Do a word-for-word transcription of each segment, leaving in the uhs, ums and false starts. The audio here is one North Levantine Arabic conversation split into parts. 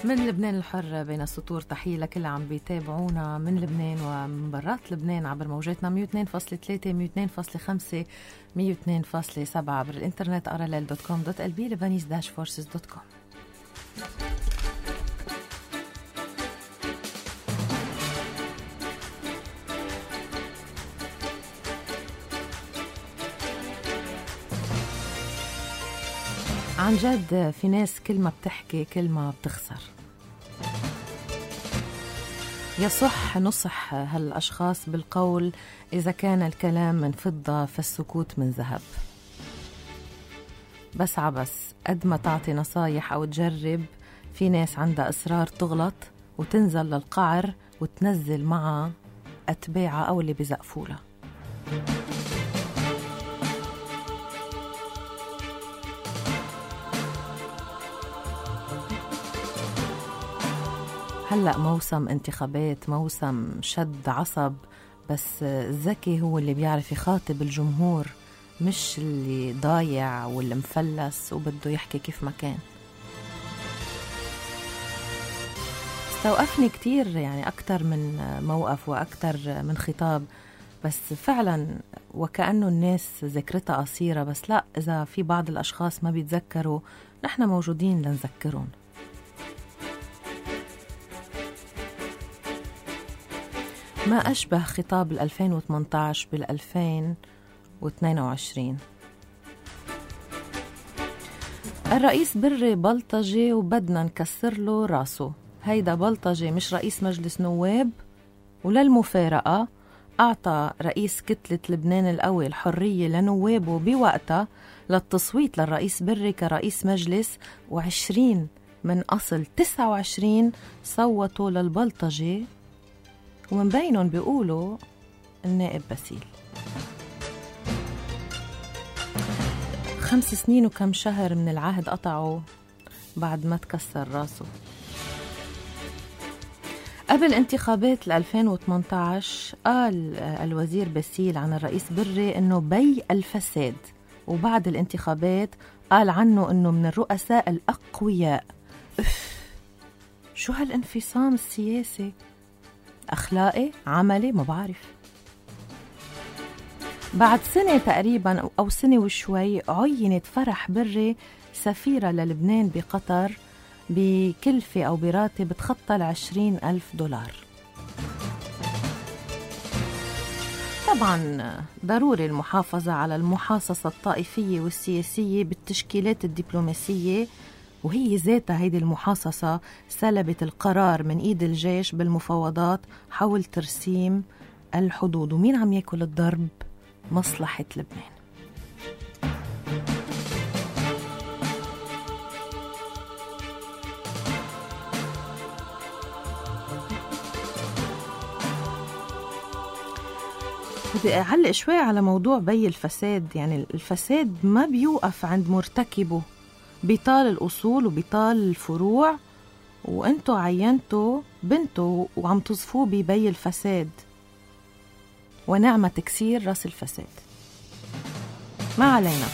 من لبنان الحر بين السطور، تحية لكل عم بيتابعونا من لبنان ومن برات لبنان عبر موجاتنا مية واثنين فاصلة ثلاثة مية واثنين فاصلة خمسة مية واثنين فاصلة سبعة عبر الانترنت أراليل دوت كوم دوت إل بي لبنانيز داش فورسز دوت كوم. عن جد في ناس كل ما بتحكي كل ما بتخسر. يصح نصح هالأشخاص بالقول: إذا كان الكلام من فضة فالسكوت من ذهب. بس عبس قد ما تعطي نصايح أو تجرب، في ناس عندها إصرار تغلط وتنزل للقعر وتنزل مع أتباعها أو اللي بزقفولها. هلأ موسم انتخابات، موسم شد عصب، بس الذكي هو اللي بيعرف يخاطب الجمهور، مش اللي ضايع واللي مفلس وبده يحكي كيف ما كان. استوقفني كتير يعني أكتر من موقف وأكتر من خطاب، بس فعلا وكأنه الناس ذاكرتها قصيرة. بس لا، إذا في بعض الأشخاص ما بيتذكروا نحن موجودين لنذكرهم. ما أشبه خطاب الألفين وثمانية عشر بالألفين واثنين وعشرين. الرئيس بري بلطجي وبدنا نكسر له راسه. هيدا بلطجي مش رئيس مجلس نواب، وللمفارقة أعطى رئيس كتلة لبنان القوي الحرية لنوابه بوقتها للتصويت للرئيس بري كرئيس مجلس، وعشرين من أصل تسعة وعشرين صوتوا للبلطجي، ومن بينهم بيقولوا النائب باسيل. خمس سنين وكم شهر من العهد قطعوا بعد ما تكسر راسه. قبل انتخابات ألفين وثمانية عشر قال الوزير باسيل عن الرئيس بري انه بي الفساد، وبعد الانتخابات قال عنه انه من الرؤساء الاقوياء. اف شو هالانفصام السياسي؟ أخلاقي عملي ما بعرف. بعد سنة تقريبا أو سنة وشوي عينت فرح بري سفيرة للبنان بقطر بكلفة أو براتب بتخطى العشرين ألف دولار. طبعا ضروري المحافظة على المحاصصة الطائفية والسياسية بالتشكيلات الدبلوماسية، وهي ذاتها هيدي المحاصصة سلبت القرار من إيد الجيش بالمفاوضات حول ترسيم الحدود. ومين عم يأكل الضرب؟ مصلحة لبنان. بدي أعلق شوي على موضوع بي الفساد. يعني الفساد ما بيوقف عند مرتكبه، بيطال الأصول وبيطال الفروع، وانتو عينتوا بنتو وعم تصفوه ببي الفساد، ونعمة تكسير رأس الفساد. ما علينا،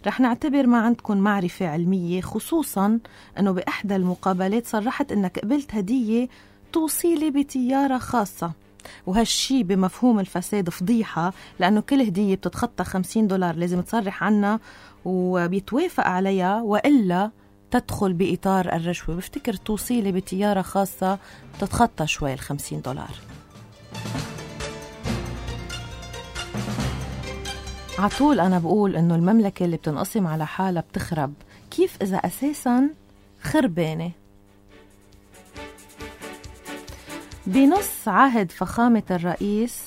رح نعتبر ما عندكم معرفة علمية، خصوصا أنه بإحدى المقابلات صرحت أنك قبلت هدية توصيلي بتيارة خاصة، وهالشي بمفهوم الفساد فضيحة، لأنه كل هدية بتتخطى خمسين دولار لازم تصرح عنها وبيتوافق عليها، وإلا تدخل بإطار الرشوة. بفتكر توصيلي بتيارة خاصة تتخطى شوي الخمسين دولار. عطول أنا بقول إنه المملكة اللي بتنقسم على حالة بتخرب. كيف إذا أساساً خربانة؟ بنص عهد فخامة الرئيس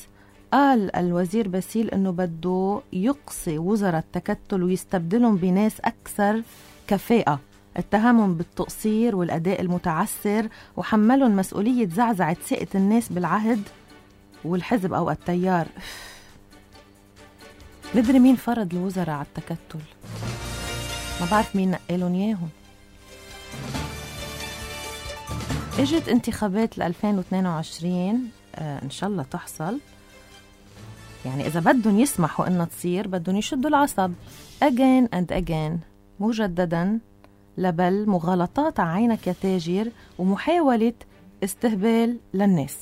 قال الوزير باسيل إنه بده يقصي وزراء التكتل ويستبدلهم بناس أكثر كفاءة، اتهمهم بالتقصير والأداء المتعسر، وحملهم مسؤولية زعزعة ثقة الناس بالعهد والحزب أو التيار. مدري مين فرض الوزراء على التكتل، ما بعرف مين نقلهم ياهم. اجت انتخابات ألفين واثنين وعشرين، آه إن شاء الله تحصل. يعني إذا بدهم يسمحوا إنها تصير بدهم يشدوا العصب again and again مجددا لبل مغالطات عينك يا تاجر ومحاولة استهبال للناس.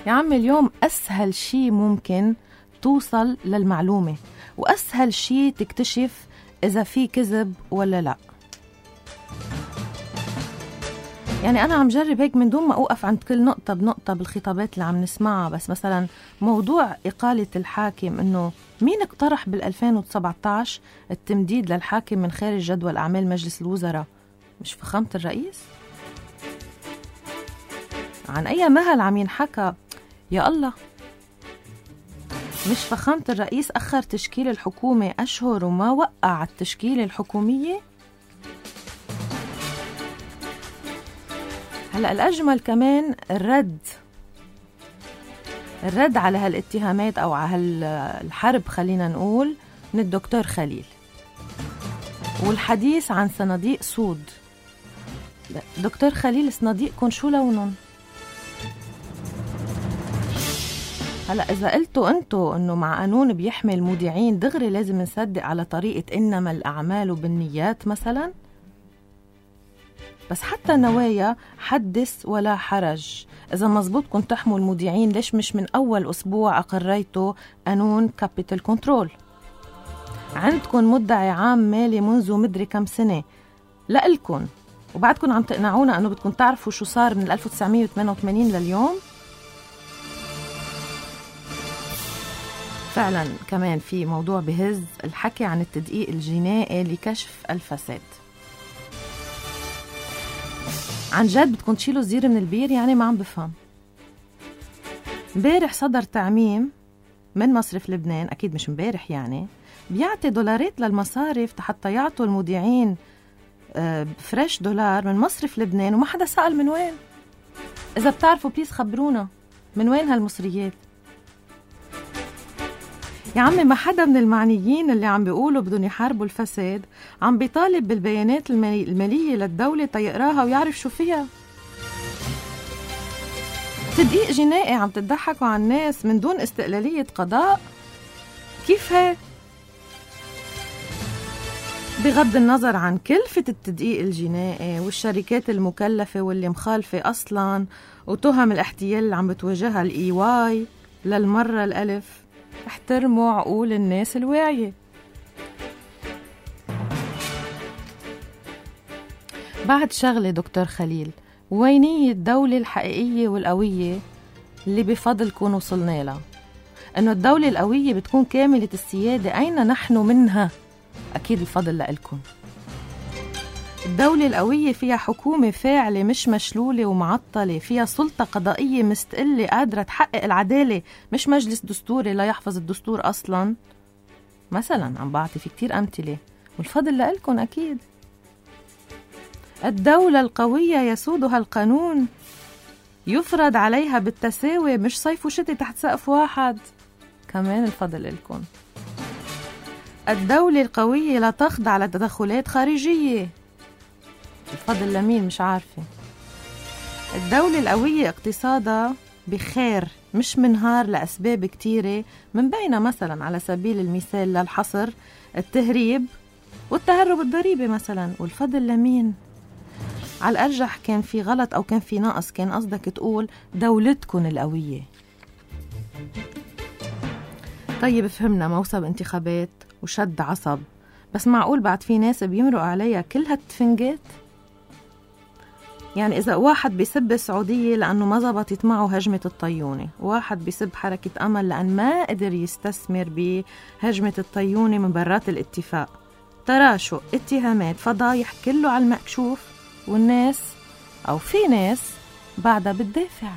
يا عم اليوم أسهل شي ممكن توصل للمعلومة، وأسهل شي تكتشف إذا في كذب ولا لا. يعني أنا عم جرب هيك من دون ما أوقف عند كل نقطة بنقطة بالخطابات اللي عم نسمعها، بس مثلا موضوع إقالة الحاكم، إنه مين اقترح بالألفين وسبعة عشر التمديد للحاكم من خارج جدول أعمال مجلس الوزراء؟ مش فخامة الرئيس؟ عن أي مهل عم ينحكى؟ يا الله، مش فخامة الرئيس أخر تشكيل الحكومة أشهر وما وقع التشكيلة الحكومية؟ هلأ الأجمل كمان الرد الرد على هالاتهامات أو على هالحرب خلينا نقول من الدكتور خليل، والحديث عن صناديق سود. دكتور خليل، صناديقكم شو لونهم؟ هلأ إذا قلتوا أنتوا أنه مع قانون بيحمي المودعين دغري لازم نصدق على طريقة إنما الأعمال بالنيات مثلا. بس حتى النوايا حدث ولا حرج. إذا مزبوط كنت تحموا المودعين، ليش مش من أول أسبوع أقريتوا قانون كابيتال كنترول؟ عندكم مدعي عام مالي منذ مدري كم سنة لألكن، وبعدكم عم تقنعونا أنه بدكم تعرفوا شو صار من ألف وتسعمية وثمانية وثمانين لليوم. فعلا كمان في موضوع بهز، الحكي عن التدقيق الجنائي لكشف الفساد. عن جد بدكم تشيلوا الزير من البير؟ يعني ما عم بفهم. مبارح صدر تعميم من مصرف لبنان، أكيد مش مبارح، يعني بيعطي دولارات للمصارف حتى يعطوا المودعين فريش دولار من مصرف لبنان، وما حدا سأل من وين. إذا بتعرفوا بليز خبرونا من وين هالمصريات. يا عمي ما حدا من المعنيين اللي عم بيقولوا بدهم يحاربوا الفساد عم بيطالب بالبيانات المالية للدولة تيقراها ويعرف شو فيها. تدقيق جنائي عم تضحكوا على الناس من دون استقلالية قضاء؟ كيف هيك؟ بغض النظر عن كلفة التدقيق الجنائي والشركات المكلفة واللي مخالفة أصلاً وتهم الاحتيال اللي عم بتواجهها الإي واي للمرة الألف، احترموا عقول الناس الواعية. بعد شغلة دكتور خليل، وينية الدولة الحقيقية والقوية اللي بفضلكم وصلنا لها؟ إنه الدولة القوية بتكون كاملة السيادة، أين نحن منها؟ أكيد الفضل لإلكم. الدولة القوية فيها حكومة فاعلة مش مشلولة ومعطلة، فيها سلطة قضائية مستقلة قادرة تحقق العدالة، مش مجلس دستوري لا يحفظ الدستور أصلا. مثلا عم بعطي في كتير أمثلة، والفضل لإلكم أكيد. الدولة القوية يسودها القانون، يفرض عليها بالتساوي، مش صيف وشتي تحت سقف واحد، كمان الفضل لإلكم. الدولة القوية لا تخضع لتدخلات خارجية، الفضل لمين مش عارفة. الدولة القوية اقتصادها بخير مش منهار لأسباب كتيرة، من بينها مثلا على سبيل المثال للحصر التهريب والتهرب الضريبي مثلا، والفضل لمين؟ على الأرجح كان في غلط أو كان في نقص، كان قصدك تقول دولتكن القوية. طيب فهمنا موسم انتخابات وشد عصب، بس معقول بعد في ناس بيمرق عليها كل هالتفنجات؟ يعني إذا واحد بيسب السعودية لأنه ما زبطت معه هجمة الطيونة، واحد بيسب حركة أمل لأن ما قدر يستثمر بهجمة الطيونة من برات الاتفاق، تراشق، اتهامات، فضايح، كله على المكشوف، والناس أو في ناس بعدها بتدافع.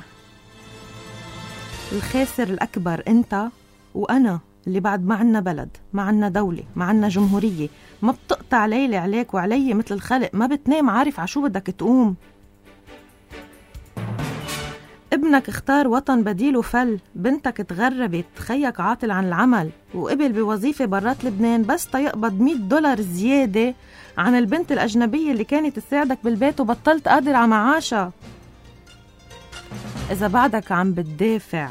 الخاسر الأكبر أنت وأنا، اللي بعد ما عنا بلد، ما عنا دولة، ما عنا جمهورية، ما بتقطع ليلة عليك وعلي مثل الخلق، ما بتنام عارف عشو بدك تقوم. ابنك اختار وطن بديل وفل، بنتك تغربت، خيك عاطل عن العمل وقبل بوظيفة برات لبنان بس تيقبض مية دولار زيادة عن البنت الأجنبية اللي كانت تساعدك بالبيت وبطلت قادر على معاشها. إذا بعدك عم بتدافع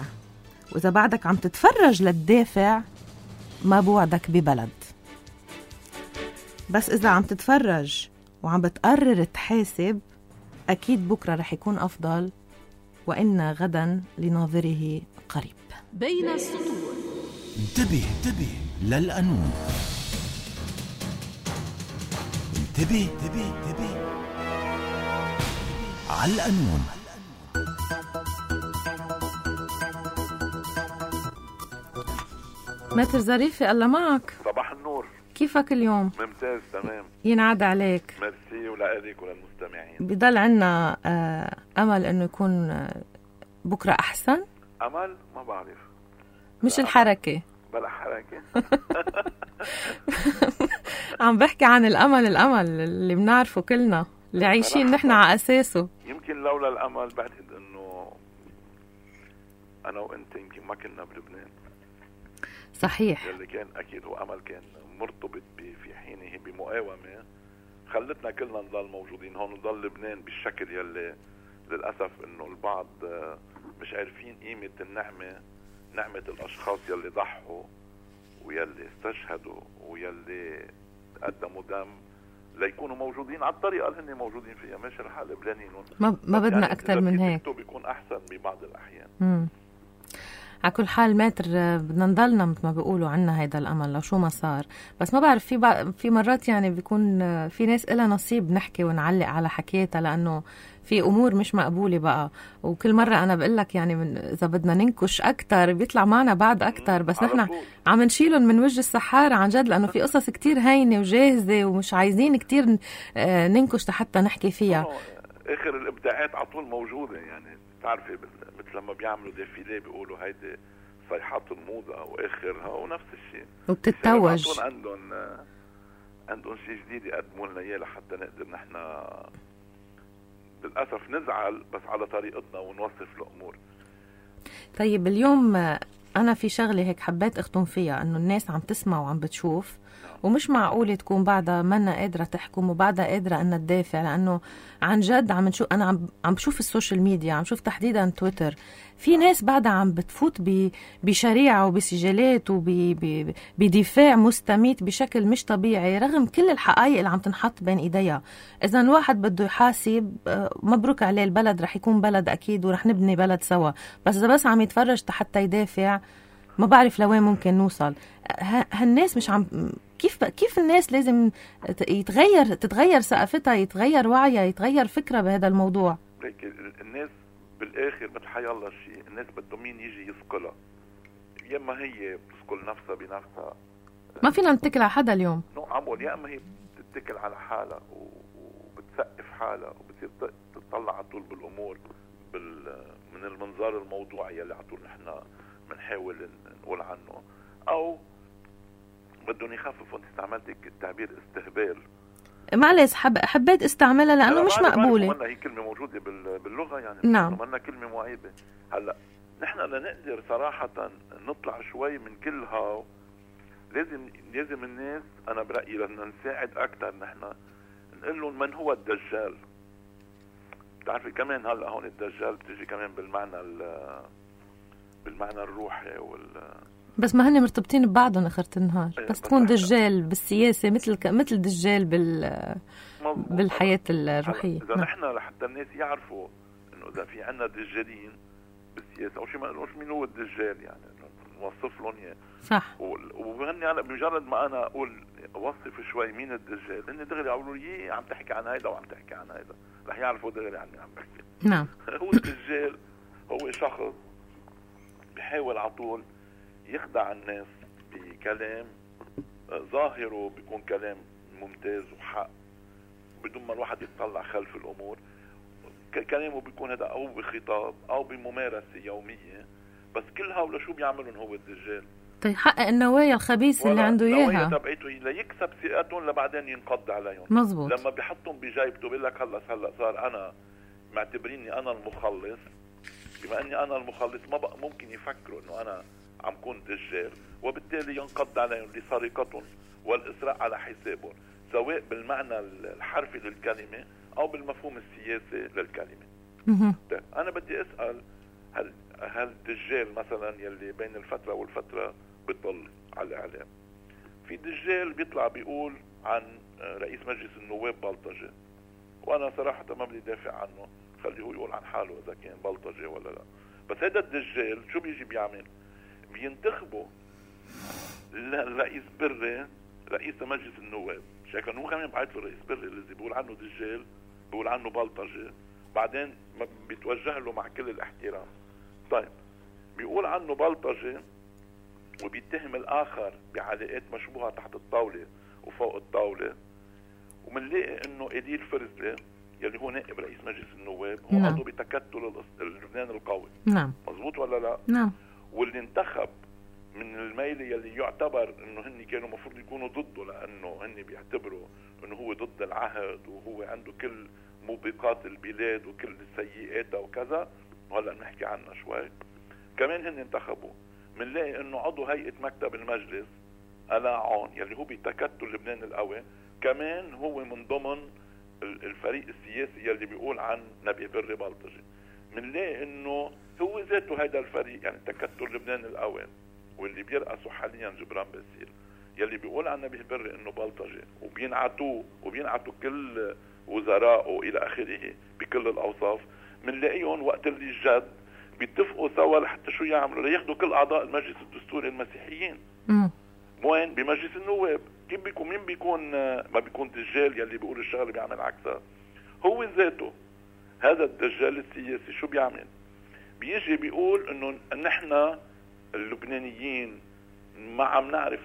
وإذا بعدك عم تتفرج للدافع، ما بوعدك ببلد. بس إذا عم تتفرج وعم بتقرر تحاسب، أكيد بكرة رح يكون أفضل، وإن غدا لناظره قريب. بين السطور. انتبه انتبه للقانون. انتبه انتبه انتبه على القانون. ماتر ظريفة، الله معك. صباح النور. كيفك اليوم؟ ممتاز تمام. ينعاد عليك. ميرسي ولأليك وللمستمعين. بضل عنا آه أمل إنه يكون آه بكرة أحسن. أمل ما بعرف. مش الحركة. بلا حركة. عم بحكي عن الأمل، الأمل اللي بنعرفه كلنا، اللي عايشين نحن على أساسه. يمكن لولا الأمل بعتقد إنه أنا وأنت يمكن ما كنا بلبنان. صحيح. اللي كان أكيد هو أمل كان مرتبط في حينه بمقاومة خلتنا كلنا نضل موجودين هون، نضل لبنان بالشكل يلي للأسف إنه البعض مش عارفين قيمة النعمة، نعمة الأشخاص يلي ضحوا ويلي استشهدوا ويلي قدموا دم ليكونوا موجودين على الطريقة اللي هن موجودين فيها. ماشي الحال لبنانيين ما, ما بدنا يعني أكتر من هيك. بيكون أحسن ببعض الأحيان. مم. على كل حال ماتر بدنا نضلنا مثل ما بيقولوا عنا هيدا الأمل لو شو ما صار. بس ما بعرف في بع... في مرات يعني بيكون في ناس إلها نصيب نحكي ونعلق على حكيتها، لأنه في أمور مش مقبولة بقى. وكل مرة أنا بقولك يعني من إذا بدنا ننكش أكتر بيطلع معنا بعد أكتر، بس نحن عم نشيلهم من وجه السحارة عن جد، لأنه في قصص كتير هينة وجاهزة ومش عايزين كتير ننكش حتى نحكي فيها. آخر الإبداعات عطول موجودة، يعني تعرفي مثل لما بيعملوا ديفيليه بيقولوا هيدي صيحات الموضة وآخرها، ونفس الشيء وبتتوج عندهم عندهم شيء جديد يقدموا لنا إياه لحتى نقدر نحن للأسف نزعل بس على طريقتنا ونوصف الأمور. طيب اليوم أنا في شغلة هيك حبيت أختم فيها، أنه الناس عم تسمع وعم بتشوف، ومش معقولة تكون بعدها منا قادرة تحكم وبعدها قادرة أن تدافع، لأنه عن جد عم نشوف، أنا عم عم بشوف السوشيال ميديا، عم شوف تحديدا تويتر، في ناس بعدها عم بتفوت بشريعة وبسجالات وبدفاع مستميت بشكل مش طبيعي رغم كل الحقائق اللي عم تنحط بين إيديها. إذا الواحد بده يحاسب مبروك عليه، البلد رح يكون بلد أكيد ورح نبني بلد سوا، بس إذا بس عم يتفرج حتى يدافع ما بعرف لوين ممكن نوصل. هالناس مش عم كيف كيف الناس لازم يتغير تتغير ثقافتها، يتغير وعيها، يتغير فكرة بهذا الموضوع. الناس بالاخر مثل حي الله شيء، الناس بدهم مين يجي يثقلها، يا اما هي بتثقل نفسها بنفسها، ما فينا نتكل على حدا اليوم. نو عمول، يا اما هي بتتكل على حالها وبتسقف حالها وبتصير تطلع على طول بالامور بال من المنظار الموضوعي اللي على طول نحن بنحاول نقول عنه، او بدهم يخففوا. انت استعملت التعبير استهبال، معلش حب... حبيت استعملها لانه مش مقبوله. هي كلمه موجوده باللغه يعني، نعم عملنا كلمه معيبه. هلا نحن لنقدر صراحه نطلع شوي من كلها، لازم لازم الناس، انا برايي لنا نساعد اكثر، نحن نقول لهم من هو الدجال. بتعرفي كمان هلا هون الدجال بتيجي كمان بالمعنى بالمعنى الروحي وال بس ما هن مرتبطين ببعضهم اخرة النهار. بس, بس تكون دجال بالسياسة مثل مثل دجال بال بالحياة الروحية. إذا نحن لحتى الناس يعرفوا إنه إذا في عنا دجالين بالسياسة أو شيء ما نقولش مين هو الدجال، يعني نوصف لهم إياه. صح. وهني أنا بمجرد ما أنا أقول أوصف شوي مين الدجال، هن دغري يقولوا لي عم تحكي عن هيدا وعم تحكي عن هيدا، رح يعرفوا دغري عن مين عم بحكي. نعم. هو الدجال هو شخص بيحاول على طول يخدع الناس بكلام ظاهره بيكون كلام ممتاز وحق بدون ما الواحد يتطلع خلف الأمور. كلامه بيكون هذا أو بخطاب أو بممارسة يومية، بس كل هؤلاء شو بيعملون هو الدجال؟ يحقق النوايا الخبيثة اللي عنده إياها، النوايا تبعيته ليكسب ثقتهم لبعدين ينقض عليهم. مزبوط. لما بيحطهم بجيبته بيقول لك هلا هلا صار أنا معتبريني أنا المخلص، بما أني أنا المخلص ما بقى ممكن يفكروا إنه أنا عم كون دجال، وبالتالي ينقض عليهم لسرقتهم والإسراء على حسابهم، سواء بالمعنى الحرفي للكلمة أو بالمفهوم السياسي للكلمة. طيب أنا بدي أسأل، هل هل الدجال مثلا يلي بين الفترة والفترة بيطل على الاعلام. في دجال بيطلع بيقول عن رئيس مجلس النواب بلطجي، وانا صراحه ما بدي دافع عنه، خليه يقول عن حاله اذا كان بلطجي ولا لا. بس هذا الدجال شو بيجي بيعمل؟ بينتخبوا الرئيس بري رئيس مجلس النواب، شكله هو كمان بعت له رئيس بري اللي بيقول عنه دجال، بيقول عنه بلطجي، بعدين ما بيتوجه له مع كل الاحترام. طيب بيقول عنه بلطجي وبيتهم الاخر بعلاقات مشبوهه تحت الطاوله وفوق الطاوله، ومنلاقي انه إديل فرزلي يلي هو نائب رئيس مجلس النواب هو نعم. عضو بتكتل لبنان القوي. نعم مزبوط ولا لا؟ نعم. واللي انتخب من الميلة يلي يعتبر انه هن كانوا مفروض يكونوا ضده، لانه هن بيعتبروا انه هو ضد العهد وهو عنده كل موبقات البلاد وكل سيئاتها وكذا، وهلا نحكي عنها شوي. كمان هن انتخبوا، منلاقي انه عضو هيئة مكتب المجلس ألاعون يلي هو بتكتل لبنان القوي كمان هو من ضمن الفريق السياسي يلي بيقول عن نبيه بري بلطجي. منلاقي انه هو ذاته هيدا الفريق يعني تكتل لبنان القوي واللي بيرأسوا حاليا جبران باسيل يلي بيقول عن نبيه بري انه بلطجي، وبينعتوه وبينعتوا كل وزرائه الى اخره بكل الاوصاف. منلاقيهم وقت اللي جد بيتفقوا سوا لحتى شو يعملوا؟ لياخدوا كل اعضاء المجلس الدستوري المسيحيين. امم وين؟ بمجلس النواب. كيف بيكون؟ مين بيكون؟ ما بيكون دجال يلي بيقول الشغله بيعمل عكسها. هو ذاته هذا الدجال السياسي شو بيعمل؟ بيجي بيقول انه نحن اللبنانيين ما عم نعرف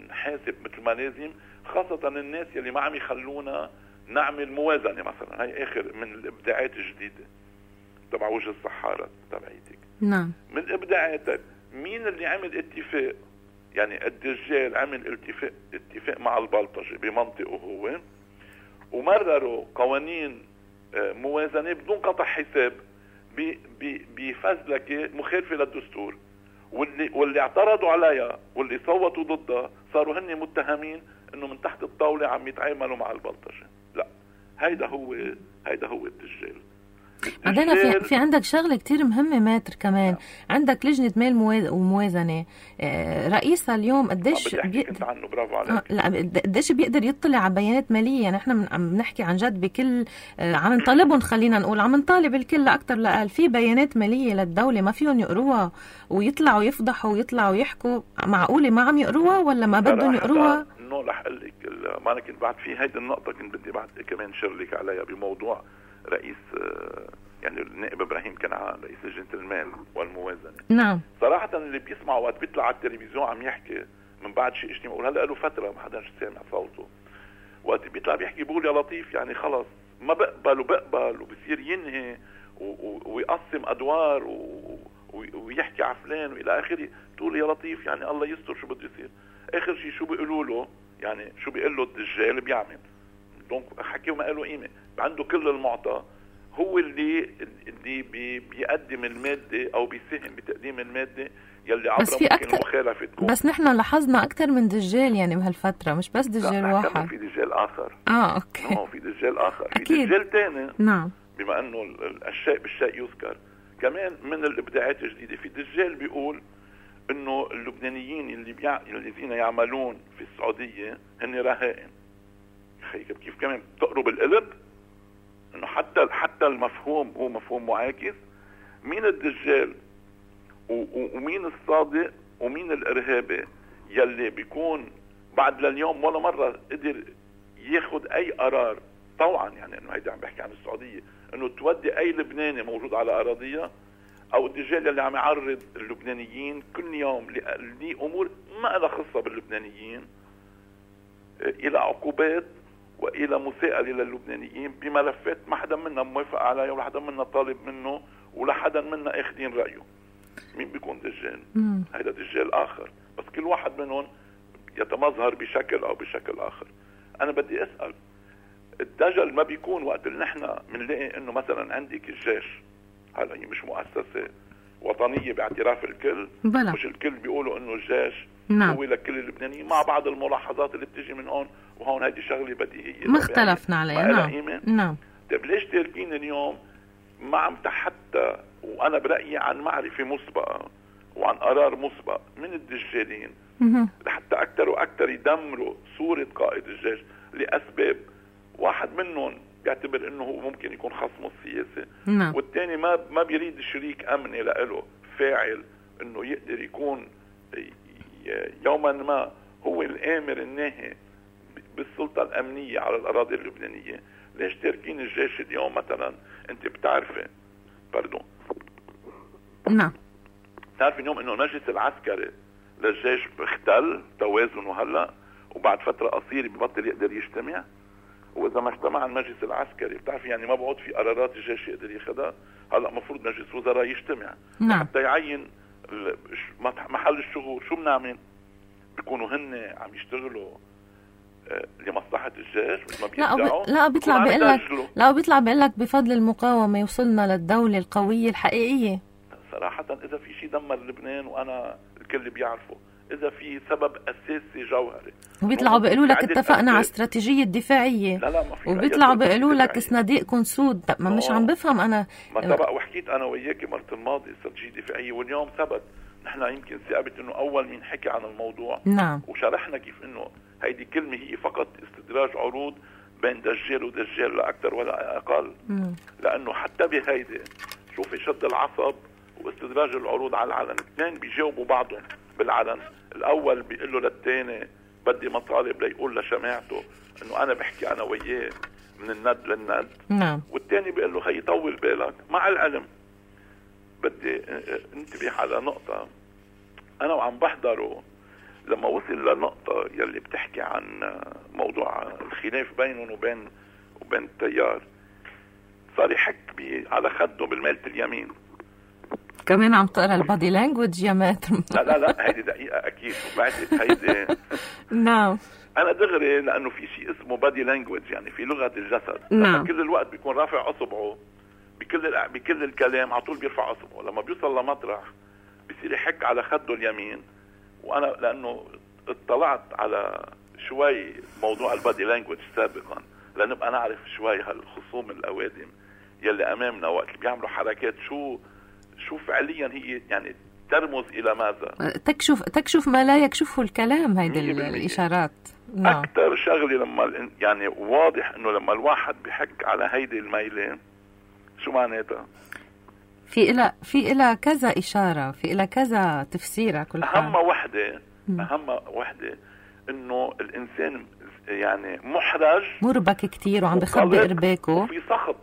نحاسب مثل ما لازم، خاصة الناس يلي ما عم يخلونا نعمل موازنة مثلا. هاي اخر من الابداعات الجديدة تبع وجه الصحارة تبعيتك. نعم. من ابداعاتك مين اللي عمل اتفاق؟ يعني الدجال عمل اتفاق اتفاق مع البلطجي بمنطقه هو، ومرروا قوانين موازنة بدون قطع حساب بفزلكة مخالفة للدستور، واللي واللي اعترضوا عليها واللي صوتوا ضدها صاروا هن متهمين انه من تحت الطاولة عم يتعاملوا مع البلطجي. لا، هيدا هو هيدا هو الدجال. بعدين في, في عندك شغله كتير مهمه ماتر كمان. نعم. عندك لجنه مال وموازنه، رئيسها اليوم قديش بيقدر عنه برافو عليك. لا قديش بيقدر يطلع على بيانات ماليه. يعني احنا عم نحكي عن جد بكل عم نطالبهم، خلينا نقول عم نطالب الكل لاكثر لاقل في بيانات ماليه للدوله ما فيهم يقروها ويطلعوا يفضحوا ويطلعوا يحكوا. معقوله ما عم يقروها ولا ما بدهم يقروها؟ انه رح اقول لك ما انا كنت بعد في هيدي النقطه كنت بدي بعد كمان شرلك عليها بموضوع رئيس يعني النائب ابراهيم كنعان رئيس لجنة المال والموازنة. نعم. صراحة اللي بيسمعوا وقت بيطلع على التلفزيون عم يحكي من بعد شيء اجتماع، بقول هلا له فترة ما حدا سامع صوته، وقت بيطلع بيحكي بقول يا لطيف يعني خلص ما بقبل وبقبل وبصير ينهي ويقسم ادوار ويحكي على فلان والى اخره. تقول يا لطيف يعني الله يستر شو بده يصير. اخر شيء شو بيقولوا له؟ يعني شو بيقول له الدجال بيعمل. دونك حكيه ما له قيمة، عنده كل المعطى، هو اللي اللي بي بيقدم المادة أو بيساهم بتقديم المادة يلي عبرها ممكن مخالفة تكون. بس نحن لاحظنا أكثر من دجال يعني بهالفترة، مش بس دجال واحد. في دجال آخر. آه أوكي. نعم في دجال آخر. أكيد. في دجال تاني. نعم. بما أنه الشيء بالشيء يذكر. كمان من الإبداعات الجديدة في دجال بيقول إنه اللبنانيين اللي بيع... الذين يعملون في السعودية هن رهائن. كيف كمان تقرب القلب انه حتى حتى المفهوم هو مفهوم معاكس. مين الدجال ومين الصادق ومين الارهابي يلي بيكون بعد لليوم ولا مره قدر ياخذ اي قرار طوعا، يعني انه هيدا عم بحكي عن السعوديه، انه تودي اي لبناني موجود على اراضيها، او الدجال اللي عم يعرض اللبنانيين كل يوم لامور ما لها خصه باللبنانيين الى عقوبات والى مساءله للبنانيين بملفات ما حدا منا موافق عليها ولا حدا منا طالب منه ولا حدا منا اخذين رايه. مين بيكون دجال؟ هيدا دجال اخر، بس كل واحد منهم يتمظهر بشكل او بشكل اخر. انا بدي اسال، الدجل ما بيكون وقت اللي نحن بنلاقي انه مثلا عندك الجيش، هلا هي مش مؤسسه وطنيه باعتراف الكل، بلا. مش الكل بيقولوا انه الجيش نعم. هو لكل اللبنانيين مع بعض الملاحظات اللي بتجي من هون وهون. هذه شغله بديهيه ما اختلفنا عليها. نعم نعم. طيب ليش تاركين اليوم ما عم حتى وانا برايي عن معرفه مسبقه وعن قرار مسبق من الدجالين لحتى اكثر واكثر يدمروا صورة قائد الجيش لاسباب واحد منهم بيعتبر انه هو ممكن يكون خصمه السياسي، نعم. والثاني ما ما بيريد شريك امني له فاعل انه يقدر يكون يوما ما هو الامر الناهي بالسلطة الامنية على الاراضي اللبنانية. ليش تاركين الجيش اليوم مثلا؟ انت بتعرفي باردون نعم بتعرفي اليوم انه المجلس العسكري للجيش اختل توازنه هلا، وبعد فترة قصيرة ببطل يقدر يجتمع، واذا ما اجتمع المجلس العسكري بتعرفي يعني ما بعود في قرارات الجيش يقدر ياخذها. هلا مفروض مجلس وزراء يجتمع نعم. حتى يعين محل الشغل. شو بنعمل؟ بيكونوا هن عم يشتغلوا لمصلحة الجيش. لا ب... لا بيطلع بيقول لك لا بيطلع بيقول لك بفضل المقاومة وصلنا للدولة القوية الحقيقية. صراحة إذا في شيء دمر لبنان وأنا الكل بيعرفه، إذا في سبب أساسي جوهري، وبيطلعوا بيقولوا لك اتفقنا على استراتيجية دفاعية، لا لا ما في، وبيطلعوا بيقولوا لك صناديق سود. ما مش عم بفهم أنا. ما سبق وحكيت أنا وياكي مرة الماضي استراتيجية دفاعية، واليوم ثبت. نحن يمكن ثابت إنه أول مين حكي عن الموضوع. نعم. وشرحنا كيف إنه هيدي كلمة هي فقط استدراج عروض بين دجال ودجال لا أكثر ولا أقل. مم. لأنه حتى بهيدي شوفي شد العصب واستدراج العروض على العلن، اثنين بيجاوبوا بعضهم بالعلن. الأول بيقول له للثاني بدي مطالب ليقول لشماعته إنه أنا بحكي أنا وياه من الند للند. نعم. والثاني بيقول له خي طول بالك. مع العلم بدي انتبه على نقطة أنا وعم بحضره لما وصل للنقطة يلي بتحكي عن موضوع الخلاف بينهم وبين وبين التيار، صار يحك على خده بالميلة اليمين. كمان عم تقرا البادي لانجوج يا ماتر؟ لا لا لا هيدي دقيقة أكيد. وبعدين هيدي نعم أنا دغري لأنه في شيء اسمه بادي لانجوج، يعني في لغة الجسد. نعم. كل الوقت بيكون رافع أصبعه بكل بكل الكلام، على طول بيرفع أصبعه. لما بيوصل لمطرح بيصير يحك على خده اليمين. وانا لانه اطلعت على شوي موضوع البادي لانجوج سابقا لنبقى نعرف شوي هالخصوم الاوادم يلي امامنا وقت بيعملوا حركات شو شو فعليا هي يعني ترمز الى ماذا. تكشف تكشف ما لا يكشفه الكلام. هيدي الاشارات. نعم. اكثر شغله لما يعني واضح انه لما الواحد بيحك على هيدي الميله شو معناتها؟ في إلى في إلى كذا إشارة، في إلى كذا تفسير. كل أهم وحدة أهم وحدة إنه الإنسان يعني محرج مربك كتير وعم بخبي إرباكه وفي سخط.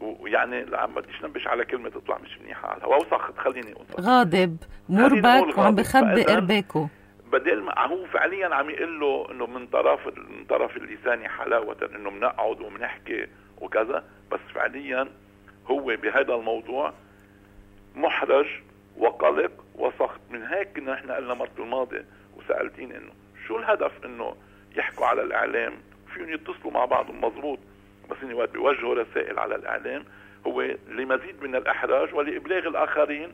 ويعني عم بديش ننبش على كلمة تطلع مش منيحة على الهواء. وسخط خليني أقول غاضب مربك وعم بخبي إرباكه، بدل ما هو فعليا عم يقول له إنه من طرف من طرف اللسان حلاوة إنه بنقعد وبنحكي وكذا، بس فعليا هو بهذا الموضوع محرج وقلق وسخط. من هيك نحن قلنا مرة الماضي وسألتين انه شو الهدف انه يحكوا على الاعلام، فيهم يتصلوا مع بعضهم مزبوط، بس انه وقت بيوجهوا رسائل على الاعلام هو لمزيد من الاحراج ولابلاغ الاخرين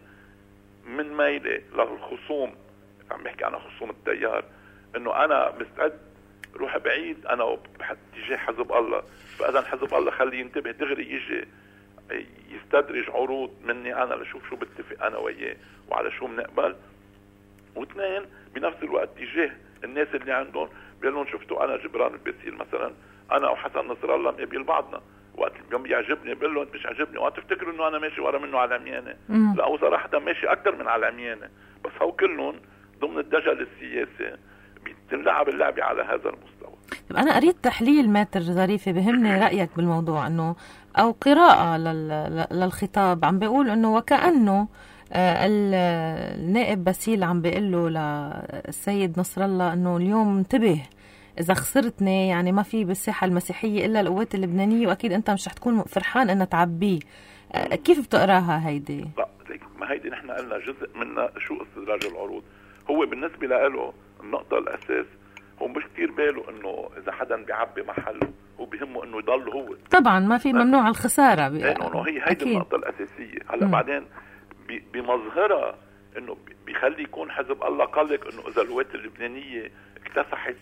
من ميله للخصوم. عم بحكي عن خصوم التيار انه انا مستعد روح بعيد انا باتجاه حزب الله، فاذا حزب الله خليه ينتبه دغري يجي يستدرج عروض مني انا لشوف شو بتفق انا وياه وعلى شو بنقبل. واثنين بنفس الوقت تجاه الناس اللي عندهم بيقول لهم شفتوا انا جبران الباسيل مثلا انا وحسن نصر الله مقابل بعضنا، وقت اليوم بيعجبني بقول له انت مش عجبني، وقت تفتكروا انه انا ماشي ورا منه على العميانه. لا هو صراحه ماشي اكثر من على العميانه، بس هو كلهم ضمن الدجل السياسي بتلعب اللعبه على هذا المستوى. انا قريت تحليل ماتر ظريفه بهمني رايك بالموضوع، انه او قراءه للخطاب عم بيقول انه وكانه النائب باسيل عم بيقول له للسيد نصر الله انه اليوم انتبه اذا خسرتني يعني ما في بالساحه المسيحيه الا القوات اللبنانيه، واكيد انت مش رح تكون فرحان انها تعبيه. كيف بتقراها هيدي؟ لا ما هيدي نحن قلنا جزء منها شو استدراج العروض. هو بالنسبه له النقطه الاساس هو مش كتير باله انه اذا حدا بيعبي محله، هو بيهمه انه يضل هو. طبعا ما في ممنوع الخساره لانه هي هيدي النقطه الاساسيه. هلا بعدين بمظهرها انه بيخلي يكون حزب الله قلق انه اذا القوات اللبنانيه اكتسحت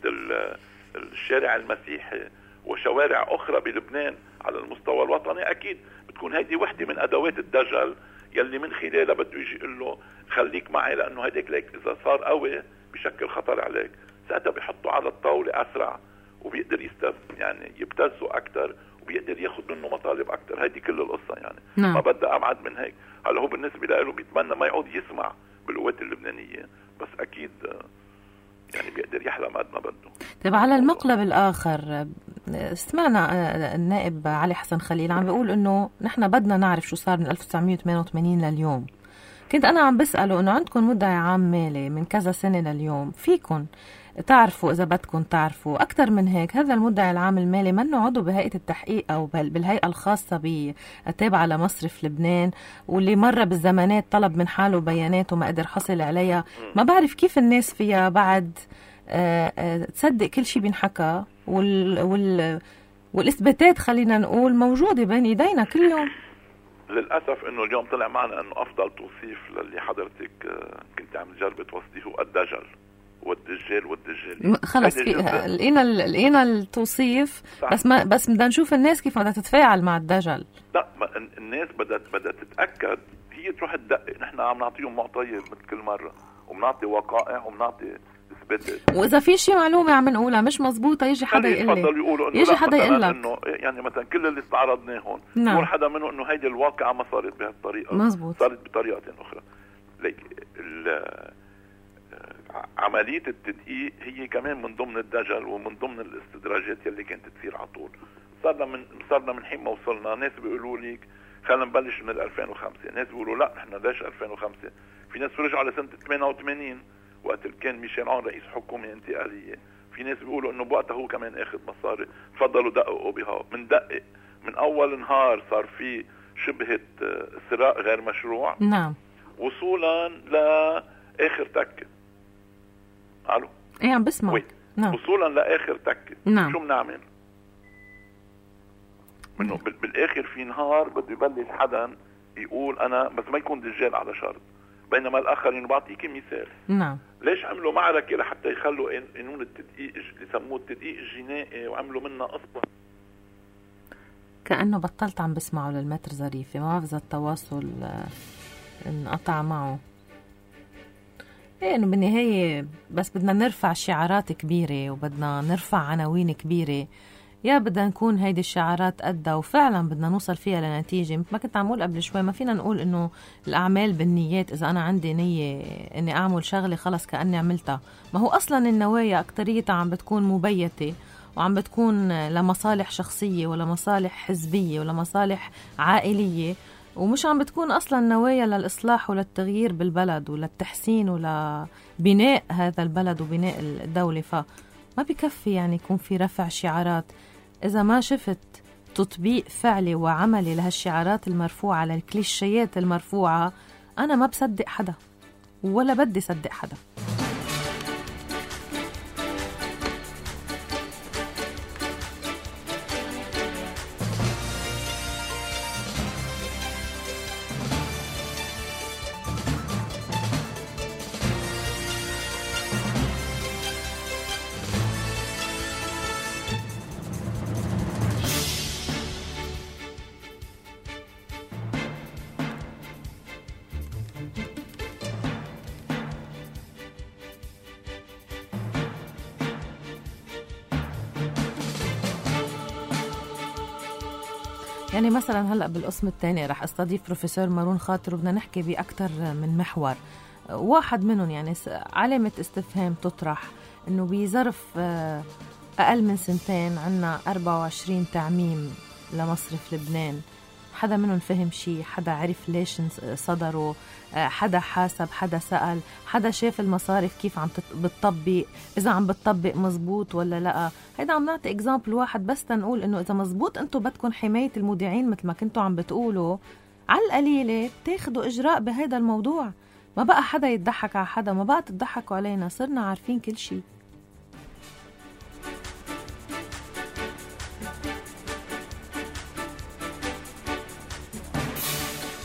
الشارع المسيحي وشوارع اخرى بلبنان على المستوى الوطني، اكيد بتكون هيدي وحده من ادوات الدجل يلي من خلالها بده يجي يقول له خليك معي، لانه هيداك ليك اذا صار قوي بشكل خطر عليك، ساعتها بيحطوا على الطاولة أسرع وبيقدر يستف يعني يبتزوا أكتر وبيقدر ياخد منه مطالب أكتر. هذه كل القصة يعني. نعم. ما بدها أبعد من هيك. هلا هو بالنسبة له بيتمنى ما يعود يسمع بالقوات اللبنانية، بس أكيد يعني بيقدر يحلم قد ما بده. طيب على المقلب الآخر سمعنا النائب علي حسن خليل عم بيقول إنه نحن بدنا نعرف شو صار من ألف وتسعمية وثمانية وثمانين لليوم. كنت أنا عم بسأله إنه عندكم مدعي عام مالي من كذا سنة لليوم، فيكن تعرفوا إذا بدكم تعرفوا أكتر من هيك. هذا المدعي العام المالي منه عضو بهيئة التحقيق أو بالهيئة الخاصة بالتابعة لمصرف لبنان، واللي مرة بالزمانات طلب من حاله بيانات وما قدر حصل عليها. ما بعرف كيف الناس فيها بعد آآ آآ تصدق كل شيء بينحكى، وال وال والإثباتات خلينا نقول موجودة بين إيدينا كل يوم. للأسف إنه اليوم طلع معنا إنه أفضل توصيف للي حضرتك كنت عم تجرب توصيه هو الدجل والدجال والدجال. خلص لقينا لقينا التوصيف. صح. بس ما بس بدنا نشوف الناس كيف بدها تتفاعل مع الدجل. لا الناس بدها بدها تتأكد، هي تروح تدقق. نحن عم نعطيهم معطيات مثل كل مرة وبنعطي وقائع وبنعطي إثباتات، وإذا في شيء معلومة عم نقولها مش مزبوطة يجي حدا يقول لي، يجي حدا يقول لك إنه يعني مثلا كل اللي استعرضناهم نعم. يقول حدا منه إنه هيدي الواقعة ما صارت بهالطريقة، مزبوط. صارت بطريقة أخرى. ليك عملية التدقيق هي كمان من ضمن الدجل ومن ضمن الاستدراجات يلي كانت تصير على طول. صارنا من صارنا من حين ما وصلنا ناس بيقولوا لك خلينا نبلش من ألفين وخمسة، ناس بيقولوا لا نحن ليش ألفين وخمسة، في ناس رجعوا لسنة ثمانية وثمانين وقت كان ميشيل عون رئيس حكومة انتقالية، في ناس بيقولوا انه بوقتها هو كمان اخذ مصاري. تفضلوا دققوا بها. من دقق من اول نهار صار في شبهة سراق غير مشروع. نعم. وصولا لاخر تكة. الو ايه عم بسمع. نعم. وصولا لاخر تكة. نعم. شو بنعمل؟ انه بالاخر في نهار بده يبلش حدا يقول انا بس ما يكون دجال على شرط، بينما الاخرين بعطيك مثال. نعم. ليش عملوا معركة لحتى يخلوا قانون التدقيق اللي سموه التدقيق الجنائي وعملوا منها قصة؟ كأنه بطلت عم بسمعه للمتر ظريفة، ما بفضل التواصل انقطع معه. ايه انه بالنهاية بس بدنا نرفع شعارات كبيرة وبدنا نرفع عناوين كبيرة، يا بدنا نكون هيدي الشعارات قدها وفعلا بدنا نوصل فيها لنتيجة. مثل ما كنت عم اقول قبل شوي، ما فينا نقول انه الأعمال بالنيات. إذا أنا عندي نية إني أعمل شغلة خلص كأني عملتها، ما هو أصلا النوايا أكتريتها عم بتكون مبيتة وعم بتكون لمصالح شخصية ولا مصالح حزبية ولا مصالح عائلية، ومش عم بتكون أصلا نوايا للإصلاح وللتغيير بالبلد وللتحسين ولبناء هذا البلد وبناء الدولة. فما بكفي يعني يكون في رفع شعارات إذا ما شفت تطبيق فعلي وعملي لهالشعارات المرفوعة، للكليشيات المرفوعة. أنا ما بصدق حدا ولا بدي صدق حدا. يعني مثلا هلأ بالقسم الثاني رح استضيف بروفيسور مارون خاطر وبدنا نحكي بأكتر من محور. واحد منهم يعني علامة استفهام تطرح إنه بظرف أقل من سنتين عنا أربعة وعشرين تعميم لمصرف لبنان. حدا منهم فهم شيء؟ حدا عرف ليش صدروا؟ حدا حاسب؟ حدا سأل؟ حدا شاف المصارف كيف عم بتطبق؟ إذا عم بتطبق مزبوط ولا لا؟ هيدا عم نعطي إكزامبل واحد بس تنقول إنه إذا مزبوط أنتوا بدكم حماية المودعين مثل ما كنتوا عم بتقولوا، على القليلة بتاخدوا إجراء بهذا الموضوع. ما بقى حدا يتضحك على حدا، ما بقى تضحكوا علينا، صرنا عارفين كل شيء.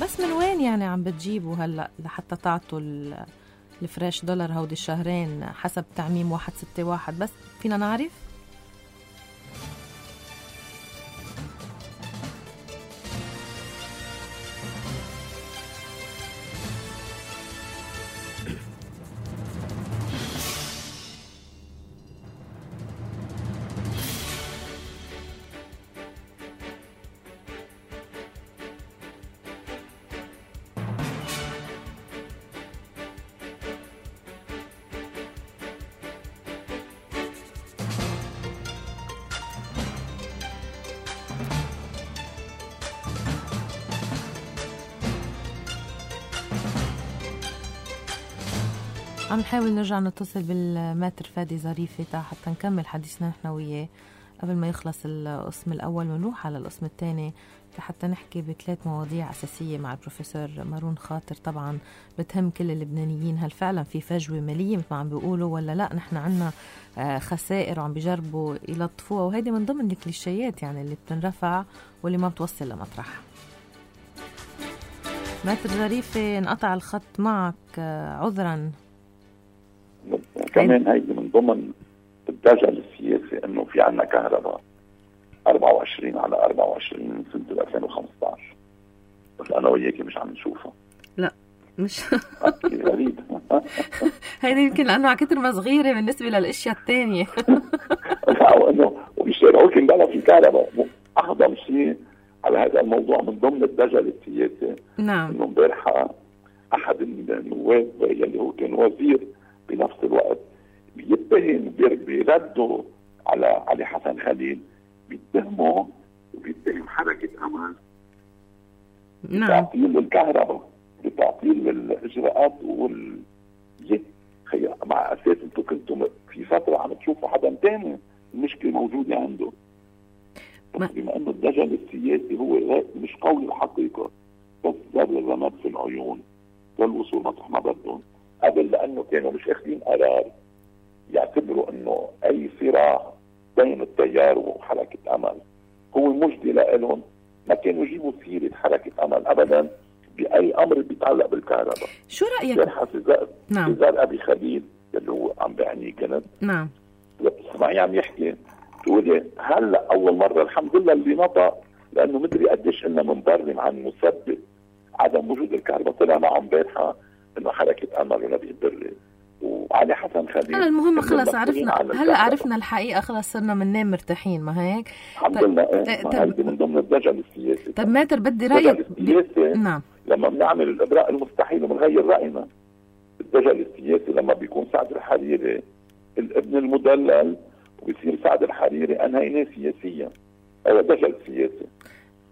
بس من وين يعني عم بتجيبوا هلأ لحتى تعطوا الفريش دولار هودي الشهرين حسب تعميم واحد ستة واحد؟ بس فينا نعرف. عم نحاول نرجع نتصل بالماتر فادي ظريفة حتى نكمل حديثنا نحن وياه قبل ما يخلص القسم الأول ونروح على القسم الثاني حتى نحكي بثلاث مواضيع أساسية مع البروفيسور مارون خاطر. طبعا بتهم كل اللبنانيين، هل فعلا في فجوة مالية مثل ما عم بيقولوا ولا لا؟ نحن عنا خسائر وعم بيجربوا يلطفوها، وهيدي من ضمن الكليشيات يعني اللي بتنرفع واللي ما بتوصل لمطرح. ماتر ظريفة انقطع الخط معك عذرا. كمان هيدي من ضمن الدجل السياسي انه في عنا كهرباء أربعة وعشرين على أربعة وعشرين من سنة ألفين وخمسة عشر، بس أنا وياكي مش عم نشوفها. لا مش غريب. هيدي يمكن لأنه عكتر ما صغيرة بالنسبة للأشياء التانية. وإنه وبيشترعوا كن بلا في كهرباء. أحضر شيء على هذا الموضوع من ضمن الدجل السياسي. نعم. إنه امبارحة أحد النواب يلي هو كان وزير بنفس الوقت بيتهم بيردوا على علي حسن خليل، بيتهموا وبيتهم حركة أمل بتعطيل الكهرباء، بتعطيل الإجراءات وال مع أساس أنتم كنتم في فترة عم تشوفوا حدا تاني المشكلة موجودة عنده. بس بما أنه الدجل السياسي هو مش قول الحقيقة، بس زر الرماد في العيون والوصول مطرح ما بدهم قبل، لأنه كانوا مش أخذين قرار يعتبروا أنه أي صراع بين التيار وحركة أمل هو مجدي لهم، ما كانوا يجيبوا سيرة حركة أمل أبدا بأي أمر بيتعلق بالكهرباء. شو رأيك؟ جرحة سيزار نعم. سيزار أبي خليل اللي هو عم بعني كانت نعم بتسمعي عم يحكي تقولي هلا أول مرة الحمد لله اللي نطق، لأنه مدري قديش إنه منبرم عن مسبب عدم وجود الكهرباء طلع معه امبارحة إنه حركة أمل ونبي بري وعلي حسن خليل. هلا المهم خلص عرفنا، هلا عرفنا الحقيقة، خلص صرنا مننام مرتاحين، ما هيك؟ الحمد لله. هذه من ضمن الدجل السياسي. طب ماتر بدي رأيك السياسي. نعم. لما بنعمل الإبراء المستحيل وبنغير رأينا. الدجل السياسي لما بيكون سعد الحريري الابن المدلل وبيصير سعد الحريري أنهينا سياسيا، هذا دجل سياسي.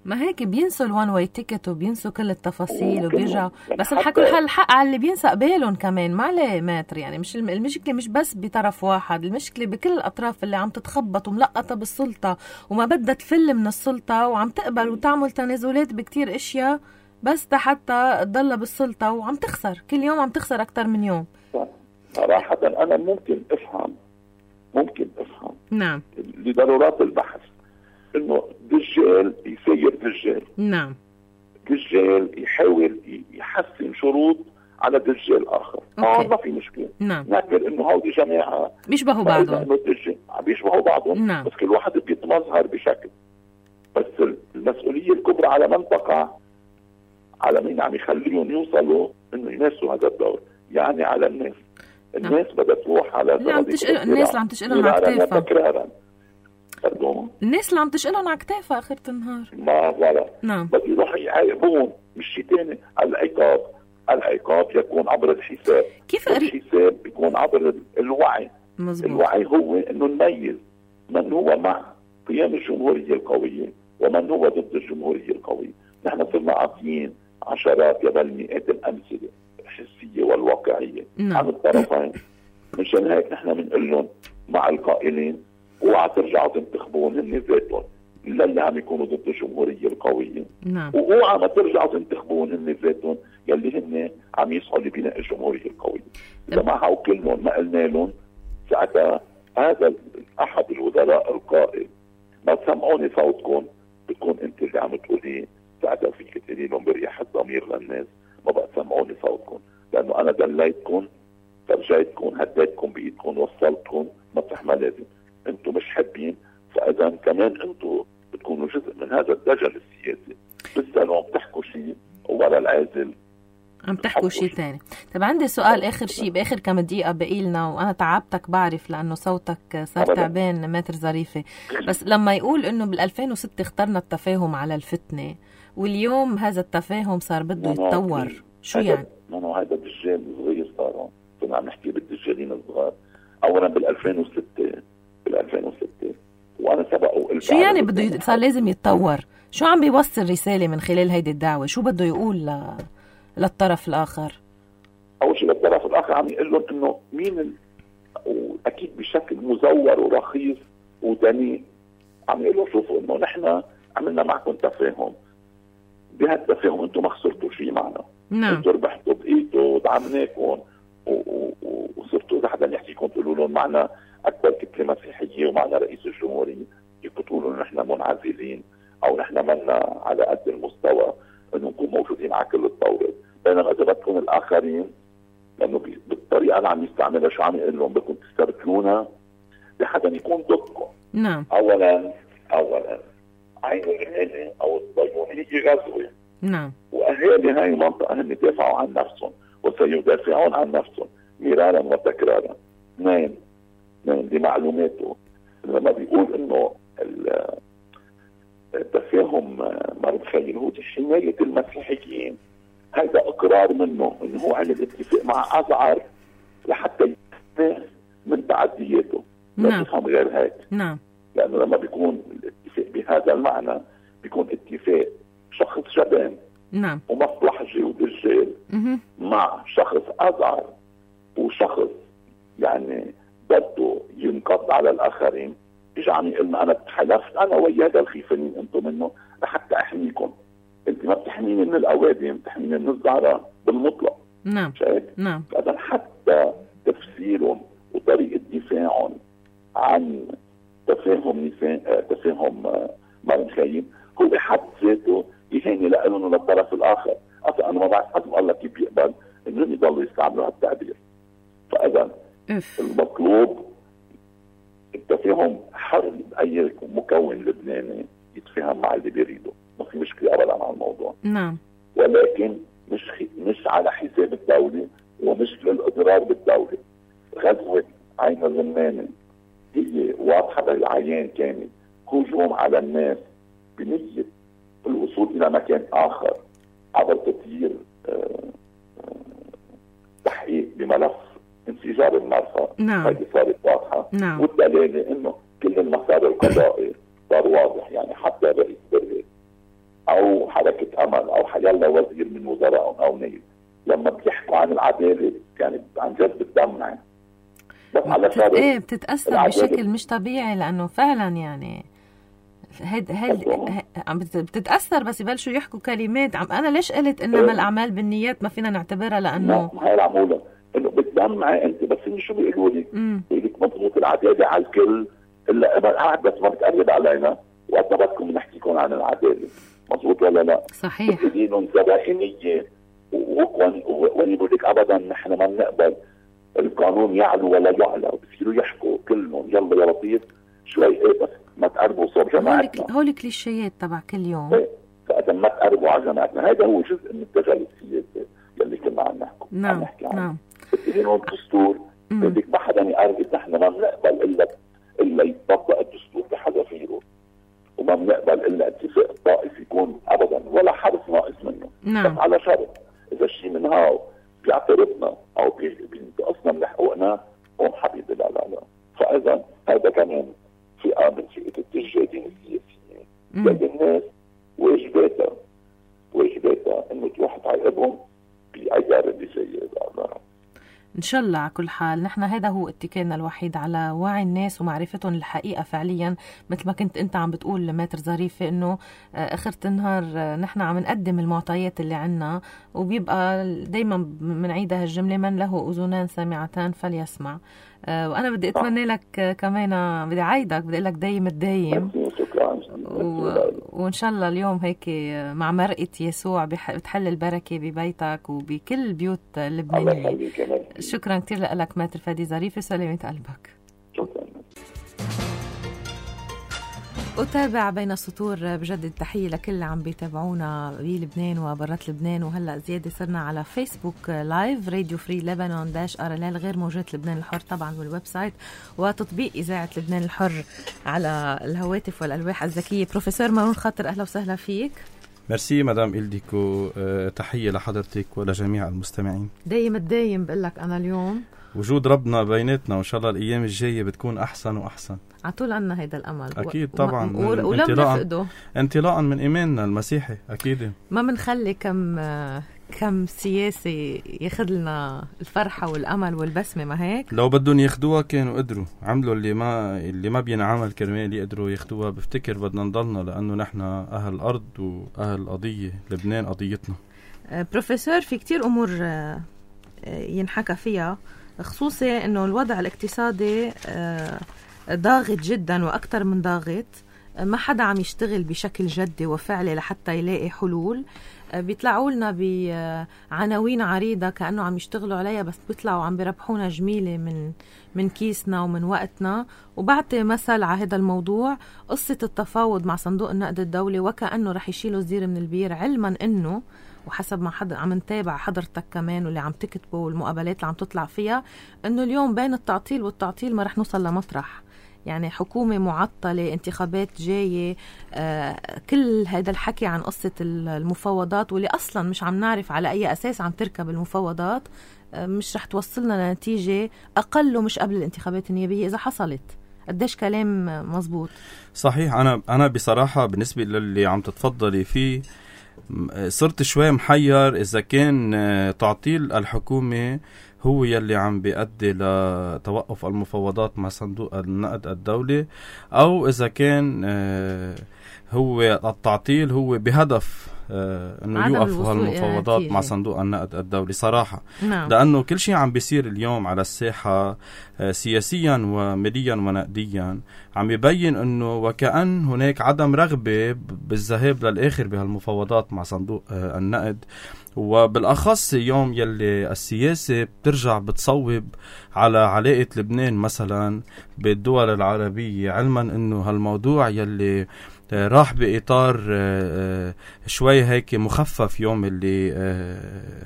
ما هيك بينسوا الوان واي تيكت وبينسوا كل التفاصيل وبيرجعوا، بس الحكوا الحق على اللي بينسى قبالهم كمان. ما عليه ماتر يعني، مش المشكله مش بس بطرف واحد، المشكله بكل الاطراف اللي عم تتخبط وملقطه بالسلطه وما بدها تفل من السلطه وعم تقبل وتعمل تنازلات بكتير اشياء بس حتى تضل بالسلطه وعم تخسر كل يوم، عم تخسر اكثر من يوم. صراحه انا ممكن افهم ممكن افهم نعم لضرورات البحث انه دجال يسير دجال. نعم. دجال يحاول يحسن شروط على دجال اخر. اه ما في مشكله. نعم. نعتبر انه هودي جماعه بيشبهوا بعضهم. انه الدجال عم بيشبهوا بعضهم. نعم. بس كل واحد بيتمظهر بشكل. بس المسؤوليه الكبرى على من تقع على مين عم يخليهم يوصلوا انه يمارسوا هذا الدور، يعني على الناس. الناس نعم. بدها تروح على اللي عم تشقل الناس اللي عم تشقلهم على كتافها. تكرارا الناس اللي عم تشقلهم على كتافها اخر النهار. ما ولا نعم. بس يروحوا يعاقبون مش شيء ثاني. العقاب العقاب يكون عبر الحساب. كيف الحساب بيكون عبر الوعي. مزبوط. الوعي هو انه نميز من هو مع قيام الجمهوريه القويه ومن هو ضد الجمهوريه القويه. نحن صرنا عاطيين عشرات بل مئات الامثله الحسيه والواقعيه نعم. عن الطرفين. مشان هيك نحن بنقول لهم مع القائلين اوعى ترجعوا تنتخبون هن ذاتهم الا اللي عم يكونوا ضد الجمهوريه القويه. نعم. واوعى ما ترجعوا تنتخبون هن ذاتهم يلي هن عم يسعوا لبناء الجمهوريه القويه. اذا ما هاو كلهم ما قلنا لهم ساعتها هذا احد الوزراء القائل ما تسمعوني صوتكم بتكون انت اللي عم تقولي، ساعتها فيك تقولي لهم برياح الضمير للناس ما بقى تسمعوني صوتكم، لانه انا دليتكم فرجيتكم هديتكم بايدكم وصلتكم مطرح ما لازم. انتم مش حابين، فاذا كمان انتم بتكونوا جزء من هذا الدجل السياسي. بالسلام بتحكوا شيء ورا العازل عم تحكوا شيء ثاني. طب عندي سؤال اخر شيء باخر كم دقيقه باقي لنا، وانا تعبتك بعرف لانه صوتك صار تعبان ماتر ظريفه، بس لما يقول انه بال ألفين وستة اخترنا التفاهم على الفتنه واليوم هذا التفاهم صار بده يتطور، شو يعني؟ ما هذا دجال صغير صار. كنا عم نحكي بالدجالين الصغار. اولا بال ألفين وستة بال ألفين وستة وانا سبق وقلت شو يعني بده صار لازم يتطور؟ شو عم بيوصل رساله من خلال هيدي الدعوه؟ شو بده يقول ل... للطرف الاخر؟ اول شيء للطرف الاخر عم يقول لهم انه مين ال... واكيد بشكل مزور ورخيص ودنيء عم يقول لهم شوفوا انه نحن عملنا معكم تفاهم، بهالتفاهم انتم ما خسرتوا شيء معنا. نعم. انتم ربحتوا بايدوا ودعمناكم وصرتوا اذا حدا يحكيكم تقولوا لهم معنا اكبر كتله مسيحيه ومعنا رئيس الجمهوريه، فيكم تقولوا نحن منعزلين او نحن منا على قد المستوى انه نكون موجودين على كل الطاوله. بينما اذا بدكم الاخرين لانه بالطريقه اللي عم يستعملها شو عم يقول لهم بدكم تستركلونا بحدا يكون ضدكم. نعم. اولا اولا عين الهلال او الصهيونيه غزوه. نعم. واهالي هاي المنطقه هم يدافعوا عن نفسهم وسيدافعون عن نفسهم مرارا وتكرارا. اثنين اثنين لمعلوماته لما بيقول انه التفاهم ما بتخيل هو حمايه المسيحيين، هذا اقرار منه انه هو عمل اتفاق مع ازعر لحتى يستفيد من تعدياته. لا نعم. تفهم غير هيك. نعم. لانه لما بيكون الاتفاق بهذا المعنى بيكون اتفاق شخص شبان نعم ومصلحجي ودجال مهم. مع شخص ازعر وشخص يعني بده ينقض على الاخرين، اجى عم يقول لنا انا تحالفت انا ويا هذا الخيفانين انتم منه لحتى احميكم. انت ما بتحميني من الاوادم، بتحميني من الزعراء بالمطلق. نعم. شايف؟ نعم. فاذا حتى تفسيرهم وطريقه دفاعهم عن تفاهم نساء تفاهم مريم خايم هو بحد ذاته يهيني لهم للطرف الاخر. اصلا انا ما بعرف حد الله كيف بيقبل انهم يضلوا يستعملوا هالتعبير. فاذا المطلوب التفاهم حر. اي مكون لبناني يتفاهم مع اللي بيريده، ما في مشكله ابدا على الموضوع. نعم. ولكن مش مش على حساب الدوله ومش للاضرار بالدوله. غزوه عين الرمانه هي واضحه بالعيان، كانت هجوم على الناس بنيه الوصول الى مكان اخر عبر تطوير تحقيق بملف انفجار المرفأ. نعم. هذه صارت واضحه. نعم. والدلاله انه كل المسار القضائي صار واضح. يعني حتى رئيس بريد او حركه امل او حيلا وزير من وزرائهم او نيل لما بيحكوا عن العداله يعني عن جد بتدمع. بس على بتت... ايه بتتاثر بشكل مش طبيعي لانه فعلا يعني هيد هيد عم بتتاثر بس يبلشوا يحكوا كلمات. عم انا ليش قلت انما الاعمال بالنيات ما فينا نعتبرها لانه هاي العموله انه بتدمع انت. بس انه شو بيقولوا لي؟ بيقول لك مضبوط العداله على الكل الا قاعد بس ما بتقرب علينا وقت بدكم نحكيكم عن العداله. مضبوط ولا لا؟ صحيح. بدينهم زبائنيه وين بيقول لك ابدا نحن ما بنقبل القانون يعلو ولا يعلى. بصيروا يحكوا كلهم يلا يا لطيف شوي ايه بس ما تقربوا صوب جماعتنا. هول كليشيات تبع كل يوم. ايه فاذا ما تقربوا على جماعتنا هذا هو جزء من التجارب السياسيه يلي كنا عم نحكي. نعم. عم نحكي عنه. نعم. بدينهم الدستور بدك ما حدا يقرب. نحن ما بنقبل الا الا يطبق الدستور بحذافيره وما بنقبل الا اتفاق الطائف يكون ابدا ولا حرف ناقص منه. نعم. بس على شرط اذا شيء من هاو بيعترضنا او بينتقصنا من حقوقنا هون حبيبي لا لا لا. فاذا هذا كمان فئه من فئه التجادين السياسيين. لكن الناس واجباتها واجباتها انه تروح تعاقبهم بايار اللي جايه. ان شاء الله. على كل حال نحن هذا هو اتكالنا الوحيد على وعي الناس ومعرفتهم الحقيقه فعليا. مثل ما كنت انت عم بتقول ماتر ظريفه انه اخر النهار نحن عم نقدم المعطيات اللي عنا وبيبقى دايما بنعيدها الجمله من له اذنان سامعتان فليسمع. وانا بدي اتمنى لك كمان بدي اعيدك بدي اقول لك دايم الدايم و... وان شاء الله اليوم هيك مع مرقه يسوع بح... بتحل البركه ببيتك وبكل البيوت اللبنانيه. شكرا كثير لك ماتر فادي ظريف وسلامة قلبك. شكرا. أتابع بين السطور. بجدد تحية لكل اللي عم بيتابعونا بلبنان وبرات لبنان. وهلأ زيادة صرنا على فيسبوك لايف راديو فري لبنان داش ار ال ال غير موجود لبنان الحر طبعا والويب سايت وتطبيق إذاعة لبنان الحر على الهواتف والألواح الذكية. بروفيسور مارون خاطر أهلا وسهلا فيك. ميرسي مدام إلديكو. أه تحية لحضرتك ولجميع المستمعين. دايم الدايم بقلك أنا اليوم وجود ربنا بيناتنا وإن شاء الله الأيام الجاية بتكون أحسن وأحسن. عطول عنا هيدا الأمل. أكيد طبعا. و... ولم نفقده انطلاقا من إيماننا المسيحي. أكيد ما منخلي كم كم سياسي ياخد لنا الفرحة والأمل والبسمة، ما هيك؟ لو بدهم ياخدوها كانوا قدروا عملوا اللي ما اللي ما بينعمل كرمال يقدروا ياخدوها. بفتكر بدنا نضلنا لأنه نحن أهل الأرض وأهل قضية لبنان قضيتنا. بروفيسور، في كتير أمور ينحكى فيها، خصوصي أنه الوضع الاقتصادي ضاغط جدا وأكتر من ضاغط، ما حدا عم يشتغل بشكل جدي وفعلي لحتى يلاقي حلول. بيطلعوا لنا بعناوين عريضة كأنه عم يشتغلوا عليها، بس بيطلعوا عم بيربحونا جميلة من من كيسنا ومن وقتنا. وبعطي مثل على هذا الموضوع، قصة التفاوض مع صندوق النقد الدولي وكأنه رح يشيلوا الزير من البير، علما أنه وحسب ما حد عم نتابع حضرتك كمان واللي عم تكتبه والمقابلات اللي عم تطلع فيها، أنه اليوم بين التعطيل والتعطيل ما رح نوصل لمطرح. يعني حكومة معطلة، انتخابات جاية، آه كل هذا الحكي عن قصة المفاوضات واللي أصلا مش عم نعرف على أي أساس عم تركب المفاوضات، آه مش رح توصلنا لنتيجة أقل ومش قبل الانتخابات النيابية إذا حصلت. قديش كلام مزبوط؟ صحيح. أنا أنا بصراحة بالنسبة للي عم تتفضلي فيه صرت شوي محير إذا كان تعطيل الحكومة هو يلي عم بيؤدي لتوقف المفاوضات مع صندوق النقد الدولي، أو إذا كان هو التعطيل هو بهدف انه يوقف هالمفاوضات مع صندوق النقد الدولي. صراحة نعم. لأنه كل شيء عم بيصير اليوم على الساحة سياسيا وماليا ونقديا عم يبين انه وكأن هناك عدم رغبة بالذهاب للآخر بهالمفاوضات مع صندوق النقد، وبالأخص يوم يلي السياسة بترجع بتصوب على علاقة لبنان مثلا بالدول العربية، علما انه هالموضوع يلي راح بإطار شوي هيك مخفف يوم اللي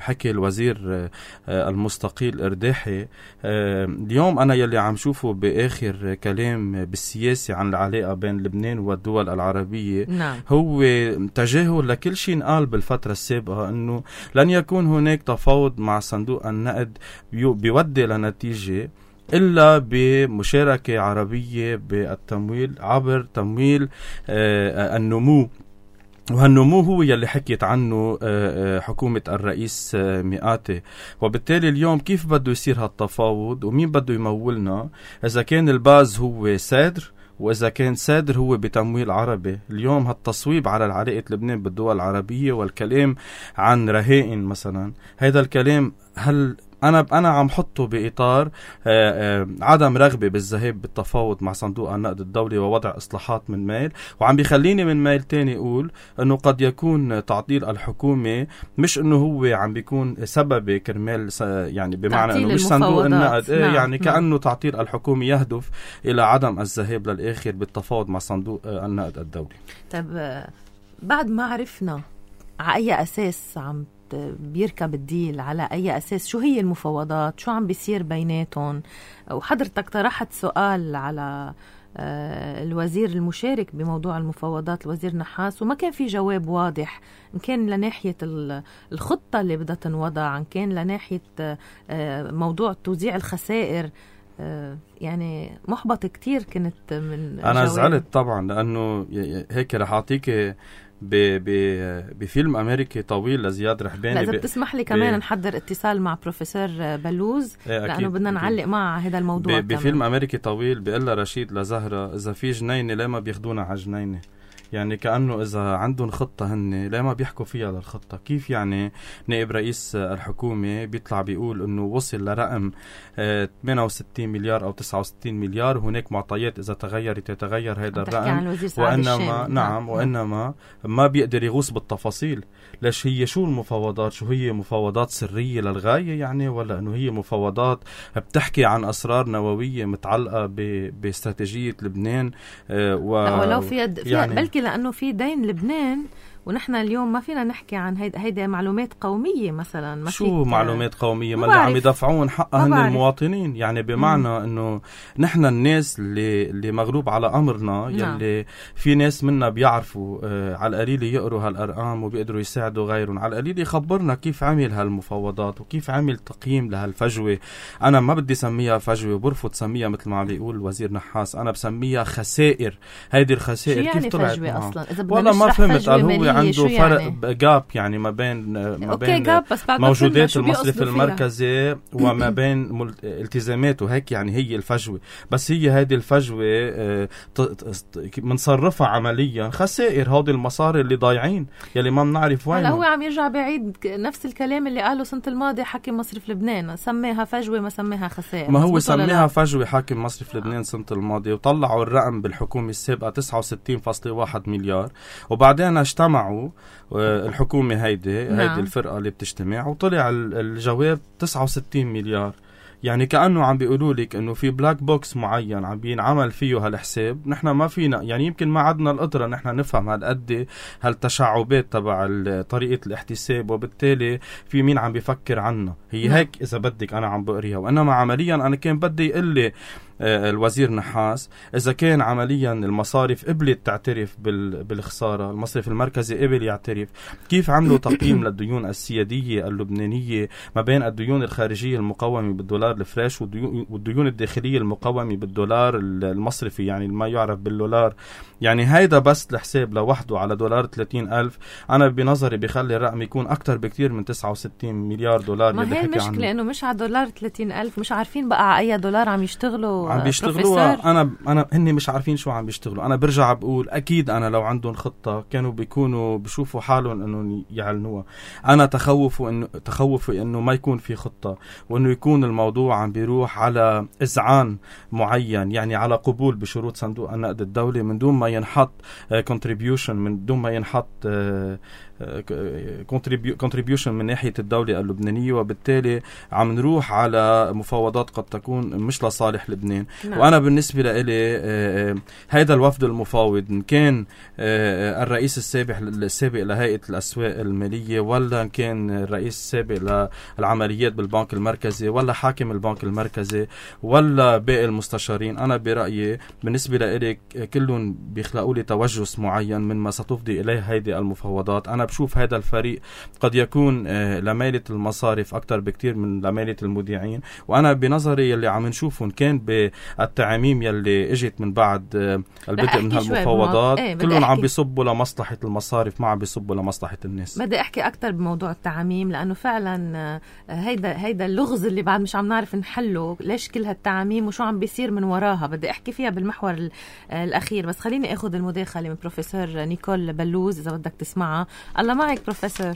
حكي الوزير المستقيل إرداحي. اليوم أنا يلي عم شوفه بآخر كلام بالسياسة عن العلاقة بين لبنان والدول العربية نعم. هو تجاهل لكل شيء نقال بالفترة السابقة، أنه لن يكون هناك تفاوض مع صندوق النقد بيودي لنتيجة إلا بمشاركة عربية بالتمويل عبر تمويل آه النمو. وهالنمو هو يلي حكيت عنه آه حكومة الرئيس آه مئاتي. وبالتالي اليوم كيف بده يصير هالتفاوض ومين بده يمولنا إذا كان الباز هو سادر وإذا كان سادر هو بتمويل عربي؟ اليوم هالتصويب على علاقة لبنان بالدول العربية والكلام عن رهائن مثلا، هذا الكلام هل أنا أنا عم حطه بإطار آآ آآ عدم رغبة بالذهاب بالتفاوض مع صندوق النقد الدولي ووضع إصلاحات من ميل، وعم بيخليني من ميل تاني أقول أنه قد يكون تعطيل الحكومة مش أنه هو عم بيكون سبب كرمال يعني بمعنى أنه مش صندوق النقد نعم. يعني كأنه نعم. تعطيل الحكومة يهدف إلى عدم الذهاب للآخر بالتفاوض مع صندوق النقد الدولي. طب بعد ما عرفنا على أي أساس عم بيركب الديل، على أي أساس، شو هي المفاوضات، شو عم بيصير بيناتهم، وحضرتك طرحت سؤال على الوزير المشارك بموضوع المفاوضات الوزير نحاس وما كان في جواب واضح، إن كان لناحية الخطة اللي بدها تنوضع، إن كان لناحية موضوع توزيع الخسائر. يعني محبط كتير كنت من أنا جواب. زعلت طبعا لأنه هيك رح أعطيك بفيلم أمريكي طويل لزياد رحباني. لا إذا بتسمح لي كمان نحضر اتصال مع بروفيسور بلوز لأنه بدنا نعلق معه هذا الموضوع. بفيلم أمريكي طويل بيقول لها رشيد لزهرة إذا في جنينة ليه ما بياخدونا على جنينة؟ يعني كأنه إذا عندهم خطة هن ليه ما بيحكوا فيها للخطة؟ كيف يعني نائب رئيس الحكومة بيطلع بيقول إنه وصل لرقم ثمانية وستين مليار أو تسعة وستين مليار، هناك معطيات إذا تغيرت يتغير هذا الرقم، وإنما نعم وإنما ما بيقدر يغوص بالتفاصيل. ليش هي شو المفاوضات؟ شو هي مفاوضات سرية للغاية يعني، ولا إنه هي مفاوضات بتحكي عن أسرار نووية متعلقة باستراتيجية لبنان؟ ولو في يعني بلكي لأنه في دين لبنان ونحن اليوم ما فينا نحكي عن هيدا هيدا معلومات قومية مثلا. ما شو معلومات قومية؟ ما اللي عم يدفعون حقها هن المواطنين، يعني بمعنى مم. انه نحن الناس اللي اللي مغلوب على امرنا يلي نعم. في ناس منا بيعرفوا آه على القليل يقروا هالارقام وبيقدروا يساعدوا غيرهم، على القليل يخبرنا كيف عمل هالمفاوضات وكيف عمل تقييم لهالفجوة. انا ما بدي سميها فجوة، برفض سميها مثل ما عم بيقول الوزير نحاس، انا بسميها خسائر. هيدي الخسائر كيف يعني طلعت فجوة اصلا؟ اذا والله ما فهمت. قال هو عنده فرق يعني؟ جاب يعني ما بين ما بين جاب بس بعد موجودات المصرف المركزي وما بين التزاماته، هيك يعني هي الفجوة. بس هي هذه الفجوة منصرفها عمليا خسائر، هودي المصاري اللي ضايعين يلي ما بنعرف وين. هلا هو عم يرجع بعيد نفس الكلام اللي قاله سنة الماضية حاكم مصرف لبنان، سميها فجوة ما سميها خسائر. ما هو سميها فجوة حاكم مصرف لبنان سنة الماضية، وطلعوا الرقم بالحكومة السابقة تسعة وستين فاصلة واحد مليار، وبعدين اجتمعوا الحكومة هيدي نعم. هيدي الفرقة اللي بتجتمع وطلع الجواب تسعة وستين مليار. يعني كأنه عم بيقولوا لك انه في بلاك بوكس معين عم بينعمل فيه هالحساب، نحن ما فينا يعني يمكن ما عدنا القدرة نحن نفهم هالقد هالتشعبات تبع طريقة الاحتساب، وبالتالي في مين عم بيفكر عنا. هي هيك اذا بدك انا عم بقريها، وانما عمليا انا كان بدي يقول لي الوزير نحاس إذا كان عمليا المصارف قبلت تعترف بالخسارة، المصرف المركزي قبل يعترف، كيف عملوا تقييم للديون السيادية اللبنانية ما بين الديون الخارجية المقومة بالدولار الفريش والديون الداخلية المقومة بالدولار المصرفي يعني ما يعرف بالدولار. يعني هيدا بس الحساب لوحده على دولار ثلاثين ألف أنا بنظري بيخلي الرقم يكون أكتر بكتير من تسعة وستين مليار دولار. ما هي المشكلة إنه مش على دولار ثلاثين ألف، مش عارفين بقى على أي دولار عم يشتغلوا عم بيشتغلوها. انا انا هني مش عارفين شو عم بيشتغلوا. انا برجع بقول اكيد انا لو عندهم خطه كانوا بيكونوا بيشوفوا حالهم انه يعلنوها. انا تخوفوا انه تخوفوا انه ما يكون في خطه، وانه يكون الموضوع عم بيروح على اذعان معين، يعني على قبول بشروط صندوق النقد الدولي من دون ما ينحط كونتريبيوشن، من دون ما ينحط كونتريبيوشن من ناحيه الدوله اللبنانيه، وبالتالي عم نروح على مفاوضات قد تكون مش لصالح لبنان. نعم. وانا بالنسبه لي هيدا الوفد المفاوض ان كان الرئيس السابق السابق لهيئه الاسواق الماليه، ولا كان الرئيس السابق للعمليات بالبنك المركزي، ولا حاكم البنك المركزي، ولا باقي المستشارين، انا برايي بالنسبه لي كلهم بيخلقوا لي توجس معين من ما ستفضي اليه هيدي المفاوضات. انا بشوف هذا الفريق قد يكون لميلة المصارف اكثر بكتير من لميلة المودعين، وانا بنظري اللي عم نشوفه كان بالتعاميم يلي اجت من بعد البدء من هالمفاوضات ايه كلهم عم بيصبوا لمصلحة المصارف، ما عم بيصبوا لمصلحة الناس. بدي احكي اكثر بموضوع التعاميم، لانه فعلا هيدا هيدا اللغز اللي بعد مش عم نعرف نحله، ليش كل هالتعاميم وشو عم بيصير من وراها. بدي احكي فيها بالمحور الاخير، بس خليني اخذ المداخله من بروفيسور نيكول بلوز اذا بدك تسمعها. الله معك بروفيسور.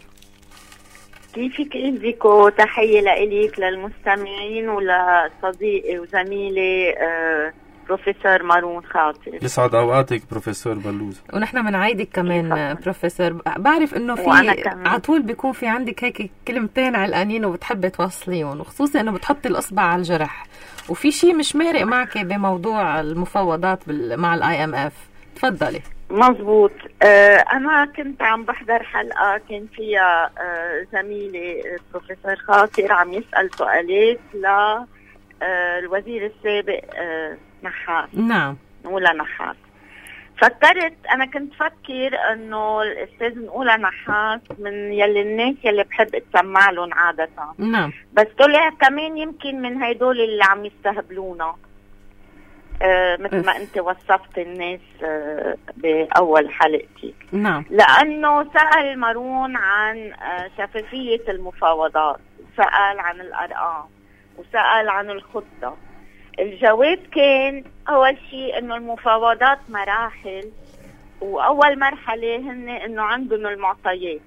كيفك إلفيكو؟ تحية لإليك للمستمعين ولصديقي وزميلي آه بروفيسور مارون خاطر. يسعد أوقاتك بروفيسور بلوز. ونحن بنعيدك كمان بروفيسور. بعرف إنه في عطول بيكون في عندك هيك كلمتين علقانين وبتحبي توصليهم، وخصوصا إنه بتحطي الإصبع على الجرح، وفي شيء مش مارق معك بموضوع المفاوضات مع الآي إم إف. تفضلي. مزبوط. آه أنا كنت عم بحضر حلقة كان فيها آه زميلي بروفيسور خاطر عم يسأل سؤالات للوزير آه السابق آه نحاس. نعم. نقولها نحاس. فكرت أنا كنت فكر إنه الأستاذ نقولها نحاس من يلي الناس يلي بحب اتسمع لهم عادة. نعم. بس طلع كمان يمكن من هيدول اللي عم يستهبلونا. آه مثل ما انت وصفت الناس آه باول حلقتي. نعم. لانه سأل مارون عن آه شفافية المفاوضات، وسأل عن الارقام، وسأل عن الخطة. الجواب كان اول شيء انه المفاوضات مراحل، واول مرحلة هن انه عندهم المعطيات.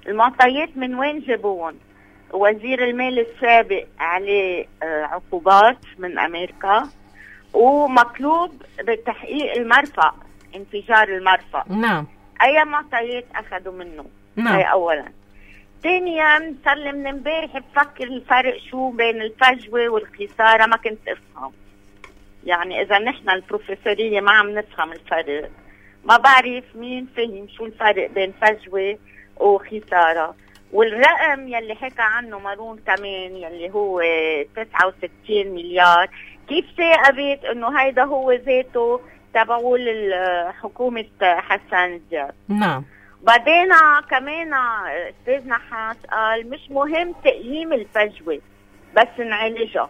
المعطيات من وين جابوهم؟ وزير المال السابق عليه آه عقوبات من امريكا، ومطلوب بتحقيق المرفأ، انفجار المرفأ. نعم. اي معطيات اخذوا منه؟ نعم. هي اولا. ثانيا صار لي من امبارح بفكر الفرق شو بين الفجوه والخساره، ما كنت افهم. يعني اذا نحن البروفيسوريه ما عم نفهم الفرق، ما بعرف مين فهم شو الفرق بين فجوه وخساره. والرقم يلي حكى عنه مارون كمان يلي هو تسعة وستين مليار، كيف ثاقبت انه هيدا هو ذاته تبعول حكومة حسن دياب؟ نعم. بعدين كمان استاذ نحاس قال مش مهم تقييم الفجوة بس نعالجها.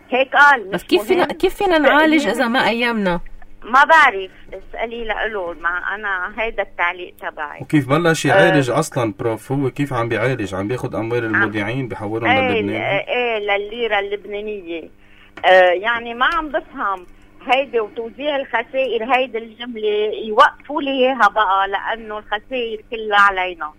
هيك قال. بس كيف فينا كيف فينا نعالج اذا ما قيمنا؟ ما بعرف، اسألي لألو، مع أنا هيدا التعليق تبعي. وكيف بلش يعالج أه أصلا بروف؟ هو كيف عم بيعالج؟ عم بياخد أموال المودعين بيحولهم ايه للبنان؟ ايه للليرة اللبنانية. آه يعني ما عم بفهم هيدي وتوزيع الخسائر، هيدي الجملة يوقفوا لي اياها بقى، لأنه الخسائر كلها علينا.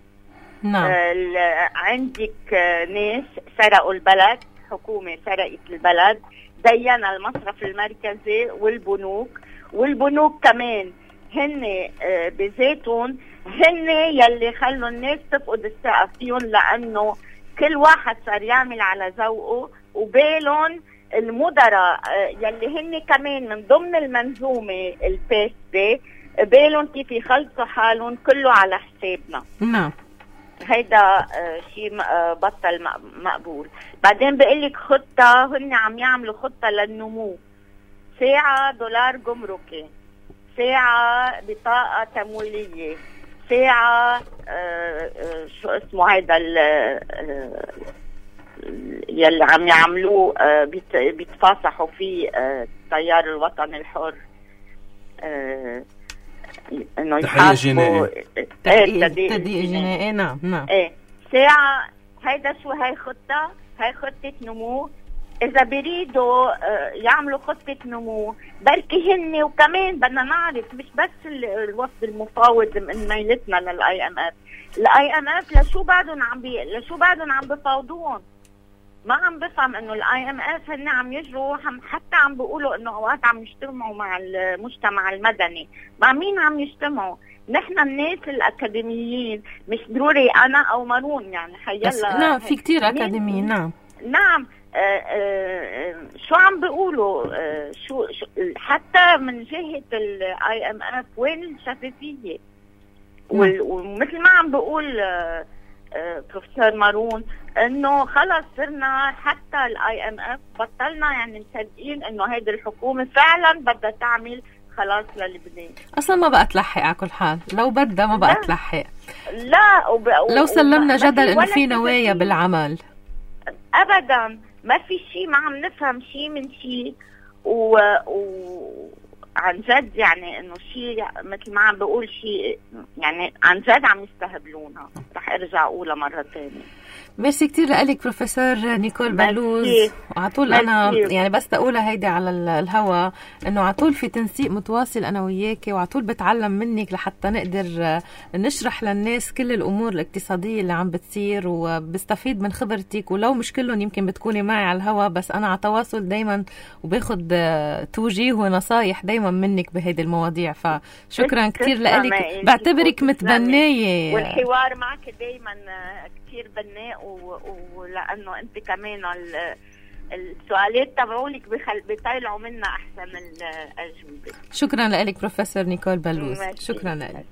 نعم. آه عندك آه ناس سرقوا البلد، حكومة سرقت البلد، زينا المصرف المركزي والبنوك، والبنوك كمان هن آه بذاتهم هن يلي خلوا الناس تفقد الثقة فيهم، لأنه كل واحد صار يعمل على ذوقه، وبالهم المدراء يلي هن كمان من ضمن المنظومة الفاسدة، بالهم كيف يخلصوا حالهم كله على حسابنا. نعم. هيدا شيء بطل مقبول. بعدين بقلك خطة، هن عم يعملوا خطة للنمو، ساعة دولار جمركي، ساعة بطاقة تمويلية، ساعة آه آه شو اسمه هيدا يلي عم يعملوه آه بيت بيتفاصحوا فيه آه التيار الوطني الحر، آه انه تحقيق جنائي. تحقيق جنائي. نعم نعم. ايه ساعة. هيدا شو هاي خطة؟ هاي خطة نمو. إذا بيريدوا يعملوا خطة نمو بركي هن، وكمان بدنا نعرف مش بس الوفد المفاوض من ميلتنا للآي إم إف، الآي إم إف لشو بعدهم عم بي لشو بعدهم عم بفاوضون؟ ما عم بفهم إنه الآي إم إف هن عم يجروا، حتى عم بيقولوا إنه أوقات عم يجتمعوا مع المجتمع المدني. مع مين عم يجتمعوا؟ نحن الناس الأكاديميين، مش ضروري أنا أو مارون، يعني حيلا. نعم في كتير أكاديميين. نعم نعم. آه آه شو عم بيقولوا؟ آه شو, شو حتى من جهة الاي ام اف وين الشفافية؟ ومثل ما عم بيقول آه آه بروفيسور مارون انه خلص صرنا حتى الاي ام اف بطلنا يعني مصدقين انه هيدي الحكومة فعلا بدها تعمل خلاص للبنان. اصلا ما بقى تلحق على كل حال، لو بدها ما بقى تلحق. لا وب... لو سلمنا جدل انه في نوايا بالعمل ابدا ما في شيء، ما عم نفهم شيء من شيء، و... و عن جد يعني انه شيء مثل ما عم بقول شيء يعني عن جد عم يستهبلونا. رح ارجع اقولها مرة ثانية. ميرسي كتير لك بروفيسور نيكول بلوز. وعطول انا يعني بس تقولها هيدي على الهوا انه عطول في تنسيق متواصل انا وياكي، وعطول بتعلم منك لحتى نقدر نشرح للناس كل الامور الاقتصاديه اللي عم بتصير، وبستفيد من خبرتك، ولو مش كلهم يمكن بتكوني معي على الهوا، بس انا على تواصل دايما وباخد توجيه ونصايح دايما منك بهيدي المواضيع. فشكرا كتير لك، بعتبرك متبنيه، والحوار معك دايما كتير بناء، ولأنه أنت كمان السؤالات تبعولك بخل... بيطلعوا منا أحسن الأجوبة. شكرا لك بروفيسور نيكول بلوز. شكرا لك.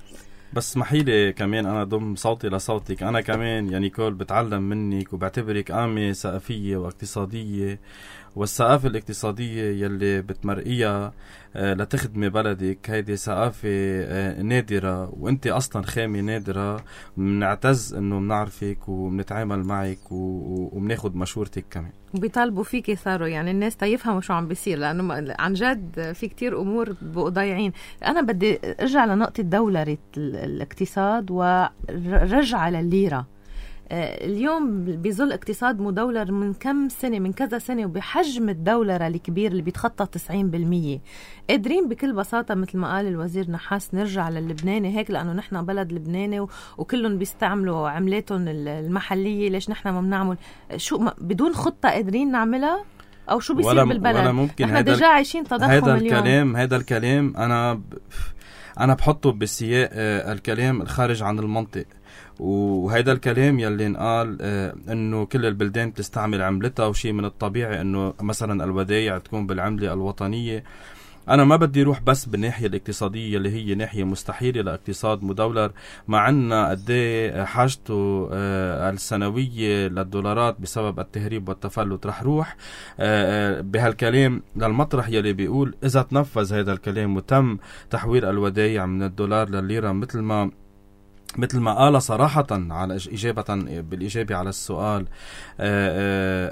بس اسمحي لي كمان أنا ضم صوتي لصوتك. أنا كمان يا نيكول بتعلم منك وبعتبرك قامة ثقافية واقتصادية، والثقافة الاقتصادية يلي بتمرقيها آه لتخدمي بلدك هيدي ثقافة آه نادرة، وانت اصلا خامة نادرة. بنعتز انه بنعرفك وبنتعامل معك وبناخد مشورتك كمان. وبيطالبوا فيكي صاروا يعني الناس تيفهموا شو عم بيصير، لانه عن جد في كتير امور بقوا ضايعين. انا بدي ارجع لنقطة دولرة الاقتصاد ورجع للليرة. اليوم بظل اقتصاد مدولر من كم سنة، من كذا سنة، وبحجم الدولرة الكبير اللي بيتخطى تسعين بالمية، قادرين بكل بساطة مثل ما قال الوزير نحاس نرجع للبناني هيك، لأنه نحن بلد لبناني وكلهم بيستعملوا عملاتهم المحلية. ليش نحن ما بنعمل شو بدون خطة قادرين نعملها؟ أو شو بيصير بالبلد؟ ولا ممكن. نحن دجا عايشين تضخم هيدا اليوم. الكلام هيدا الكلام أنا ب... أنا بحطه بسياق الكلام الخارج عن المنطق، وهيدا الكلام يلي انقال آه انه كل البلدان بتستعمل عملتها، وشيء من الطبيعي انه مثلا الودايع تكون بالعملة الوطنية. انا ما بدي روح بس بالناحية الاقتصادية اللي هي ناحية مستحيلة لاقتصاد مدولر، مع عنا قديه حاجته آه السنوية للدولارات بسبب التهريب والتفلت. رح روح آه بهالكلام للمطرح يلي بيقول اذا تنفذ هذا الكلام وتم تحويل الودايع من الدولار للليرة مثل ما مثل ما قال صراحة على إجابة بالإجابة على السؤال،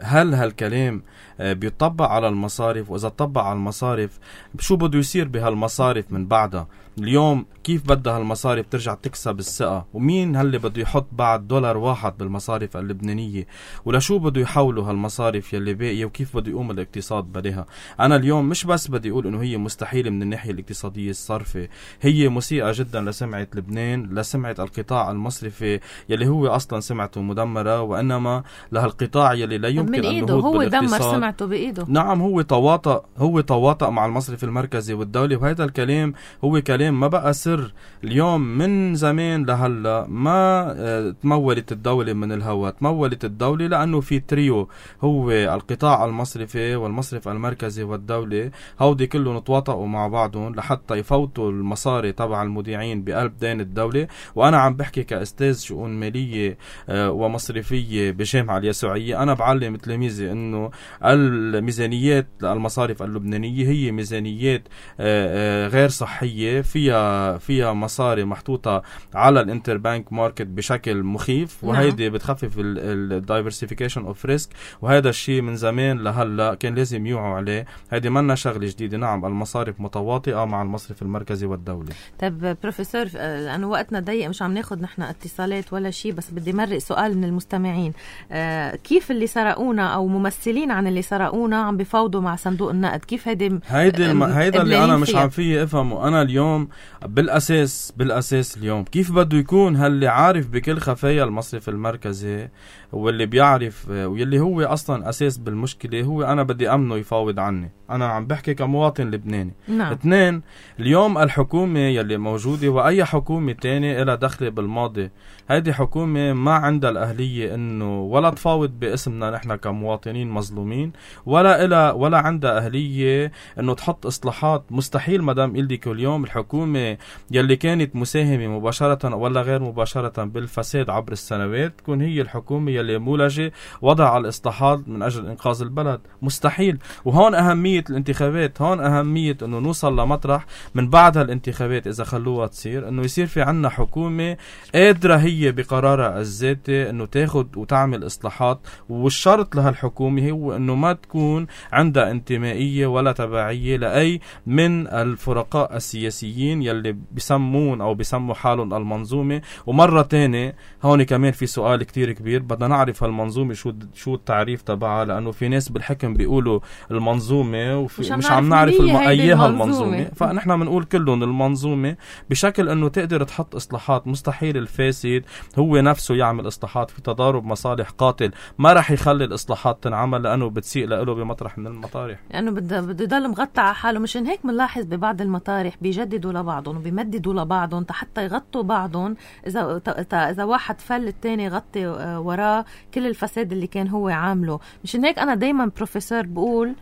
هل هالكلام بيطبق على المصارف؟ وإذا طبق على المصارف شو بده يصير بهالمصارف من بعدها؟ اليوم كيف بدها هالمصارف ترجع تكسب الثقة؟ ومين هاللي بده يحط بعد دولار واحد بالمصارف اللبنانية؟ ولشو بده يحولوا هالمصارف يلي باقية؟ وكيف بده يقوم الاقتصاد بديها؟ أنا اليوم مش بس بدي أقول إنه هي مستحيلة من الناحية الاقتصادية الصرفة، هي مسيئة جدا لسمعة لبنان، لسمعة القطاع المصرفي يلي هو أصلا سمعته مدمرة، وإنما لهالقطاع يلي لا يمكن أن نهوض هو بالاقتصاد. دمر سمعته بإيده. نعم، هو تواطأ هو تواطأ مع المصرف المركزي والدولي، وهذا الكلام هو كلام ما بقى سر. اليوم من زمان لهلا ما اه تمولت الدولة من الهوا، تمولت الدولة لأنه في تريو، هو القطاع المصرفي والمصرف المركزي والدولة، هودي كلهم تواطئوا مع بعضهم لحتى يفوتوا المصاري تبع المودعين بقلب دين الدولة. وأنا عم بحكي كأستاذ شؤون مالية اه ومصرفية بجامعة اليسوعية، أنا بعلم تلاميذي إنه الميزانيات المصارف اللبنانية هي ميزانيات اه اه غير صحية، فيها فيها مصاري محطوطة على الانتربانك ماركت بشكل مخيف، وهيدي بتخفف الدايفرسيفيكيشن اوف ريسك، وهذا الشيء من زمان لهلا كان لازم يوعوا عليه. هيدي منا شغلة جديدة. نعم، المصارف متواطئة مع المصرف المركزي والدولي. طب بروفيسور، لأنه وقتنا ضيق مش عم ناخد نحن اتصالات ولا شيء، بس بدي مرق سؤال من المستمعين. آه كيف اللي سرقونا أو ممثلين عن اللي سرقونا عم بفاوضوا مع صندوق النقد؟ كيف هيدي هيدي الم... هيدا اللي أنا مش عم فيه أفهمه. أنا اليوم بالأساس بالأساس اليوم كيف بده يكون هاللي عارف بكل خفايا المصرف المركزي واللي بيعرف واللي هو أصلا أساس بالمشكلة، هو أنا بدي أمنه يفاوض عني. أنا عم بحكي كمواطن لبناني. نعم. اثنين، اليوم الحكومة يلي موجودة وأي حكومة تانية إلها دخل بالماضي، هيدي حكومة ما عندها الأهلية إنه ولا تفاوض باسمنا نحن كمواطنين مظلومين، ولا إلها ولا عندها أهلية إنه تحط إصلاحات. مستحيل مدام إلدي كل يوم الحكومة يلي كانت مساهمة مباشرة ولا غير مباشرة بالفساد عبر السنوات تكون هي الحكومة يلي مولجة وضع الإصلاحات من أجل إنقاذ البلد. مستحيل. وهون أهمية الانتخابات، هون أهمية إنه نوصل لمطرح من بعد هالانتخابات إذا خلوها تصير، إنه يصير في عنا حكومة قادرة هي بقرارها الذاتي إنه تاخد وتعمل إصلاحات. والشرط لهالحكومة هو إنه ما تكون عندها انتمائية ولا تبعية لأي من الفرقاء السياسيين يلي بيسمون أو بيسموا حالهم المنظومة. ومرة تانية هون كمان في سؤال كتير كبير، بدنا نعرف هالمنظومة شو شو التعريف تبعها، لأنه في ناس بالحكم بيقولوا المنظومة وفي مش, مش عم نعرف المؤيها المنظومة، فنحن بنقول كلهم المنظومة بشكل إنه تقدر تحط إصلاحات. مستحيل الفاسد هو نفسه يعمل إصلاحات، في تضارب مصالح قاتل ما رح يخلي الإصلاحات تنعمل لأنه بتسيء له بمطرح من المطارح، لأنه يعني بده بده يضل مغطى على حاله. مشان هيك بنلاحظ ببعض المطارح بيجددوا لبعضهم وبيمددوا لبعضهم حتى يغطوا بعضهم. إذا إذا واحد فل التاني يغطي وراه كل الفساد اللي كان هو عامله. مشان هيك أنا دايما بروفيسور بقول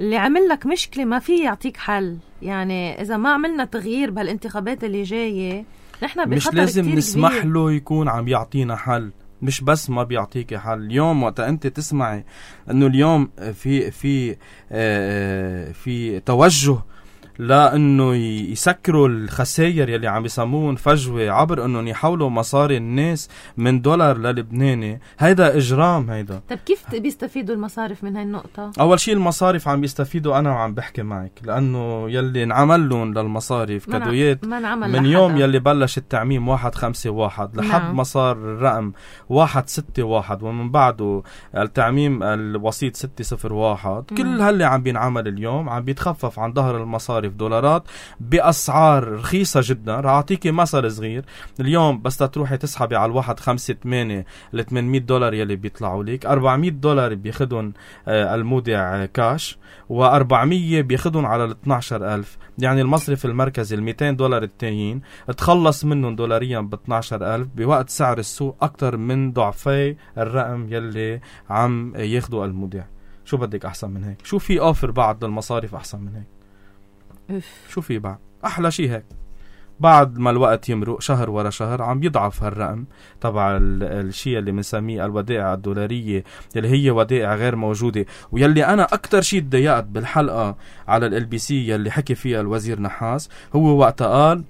اللي عمل لك مشكلة ما فيه يعطيك حل. يعني إذا ما عملنا تغيير بهالانتخابات اللي جاية نحن بخطر مش لازم كتير نسمح كبير. له يكون عم يعطينا حل، مش بس ما بيعطيك حل. اليوم وقت أنت تسمعي أنه اليوم في في آه في توجه لأنه يسكروا الخسائر يلي عم يسمون فجوة عبر أنه يحولوا مصاري الناس من دولار للبناني، هيدا إجرام. هيدا طب كيف بيستفيدوا المصارف من هاي النقطة؟ أول شيء المصارف عم بيستفيدوا، أنا وعم بحكي معك، لأنه يلي نعمل لهم للمصارف كدويات من يوم يلي بلش التعميم واحد خمسة واحد لحد نعم. مصار الرقم واحد ستة واحد ومن بعده التعميم الوسيط ستة صفر واحد، كل هاللي عم بينعمل اليوم عم بيتخفف عن ظهر المصارف دولارات بأسعار رخيصة جدا. رح أعطيكي مثل صغير، اليوم بس تروحي تسحبي على الواحد خمسة ثمانية ل ثمانمية دولار يلي بيطلعوا لك، أربعمية دولار بياخدون المودع كاش وأربعمية بياخدون على ال اثناشر ألف. يعني المصرف المركزي ال مئتين دولار التانيين تخلص منهم دولاريا ب اثناشر ألف بوقت سعر السوق أكتر من ضعفي الرقم يلي عم ياخدوا المودع. شو بدك أحسن من هيك؟ شو في أوفر بعد للمصارف أحسن من هيك؟ شو في بعد؟ أحلى شيء هيك بعد ما الوقت يمرق شهر ورا شهر عم يضعف هالرقم تبع الشيء اللي بنسميه الودائع الدولارية اللي هي ودائع غير موجودة. ويلي أنا أكتر شيء تضايقت بالحلقة على ال بي سي يلي حكي فيها الوزير نحاس هو وقت قال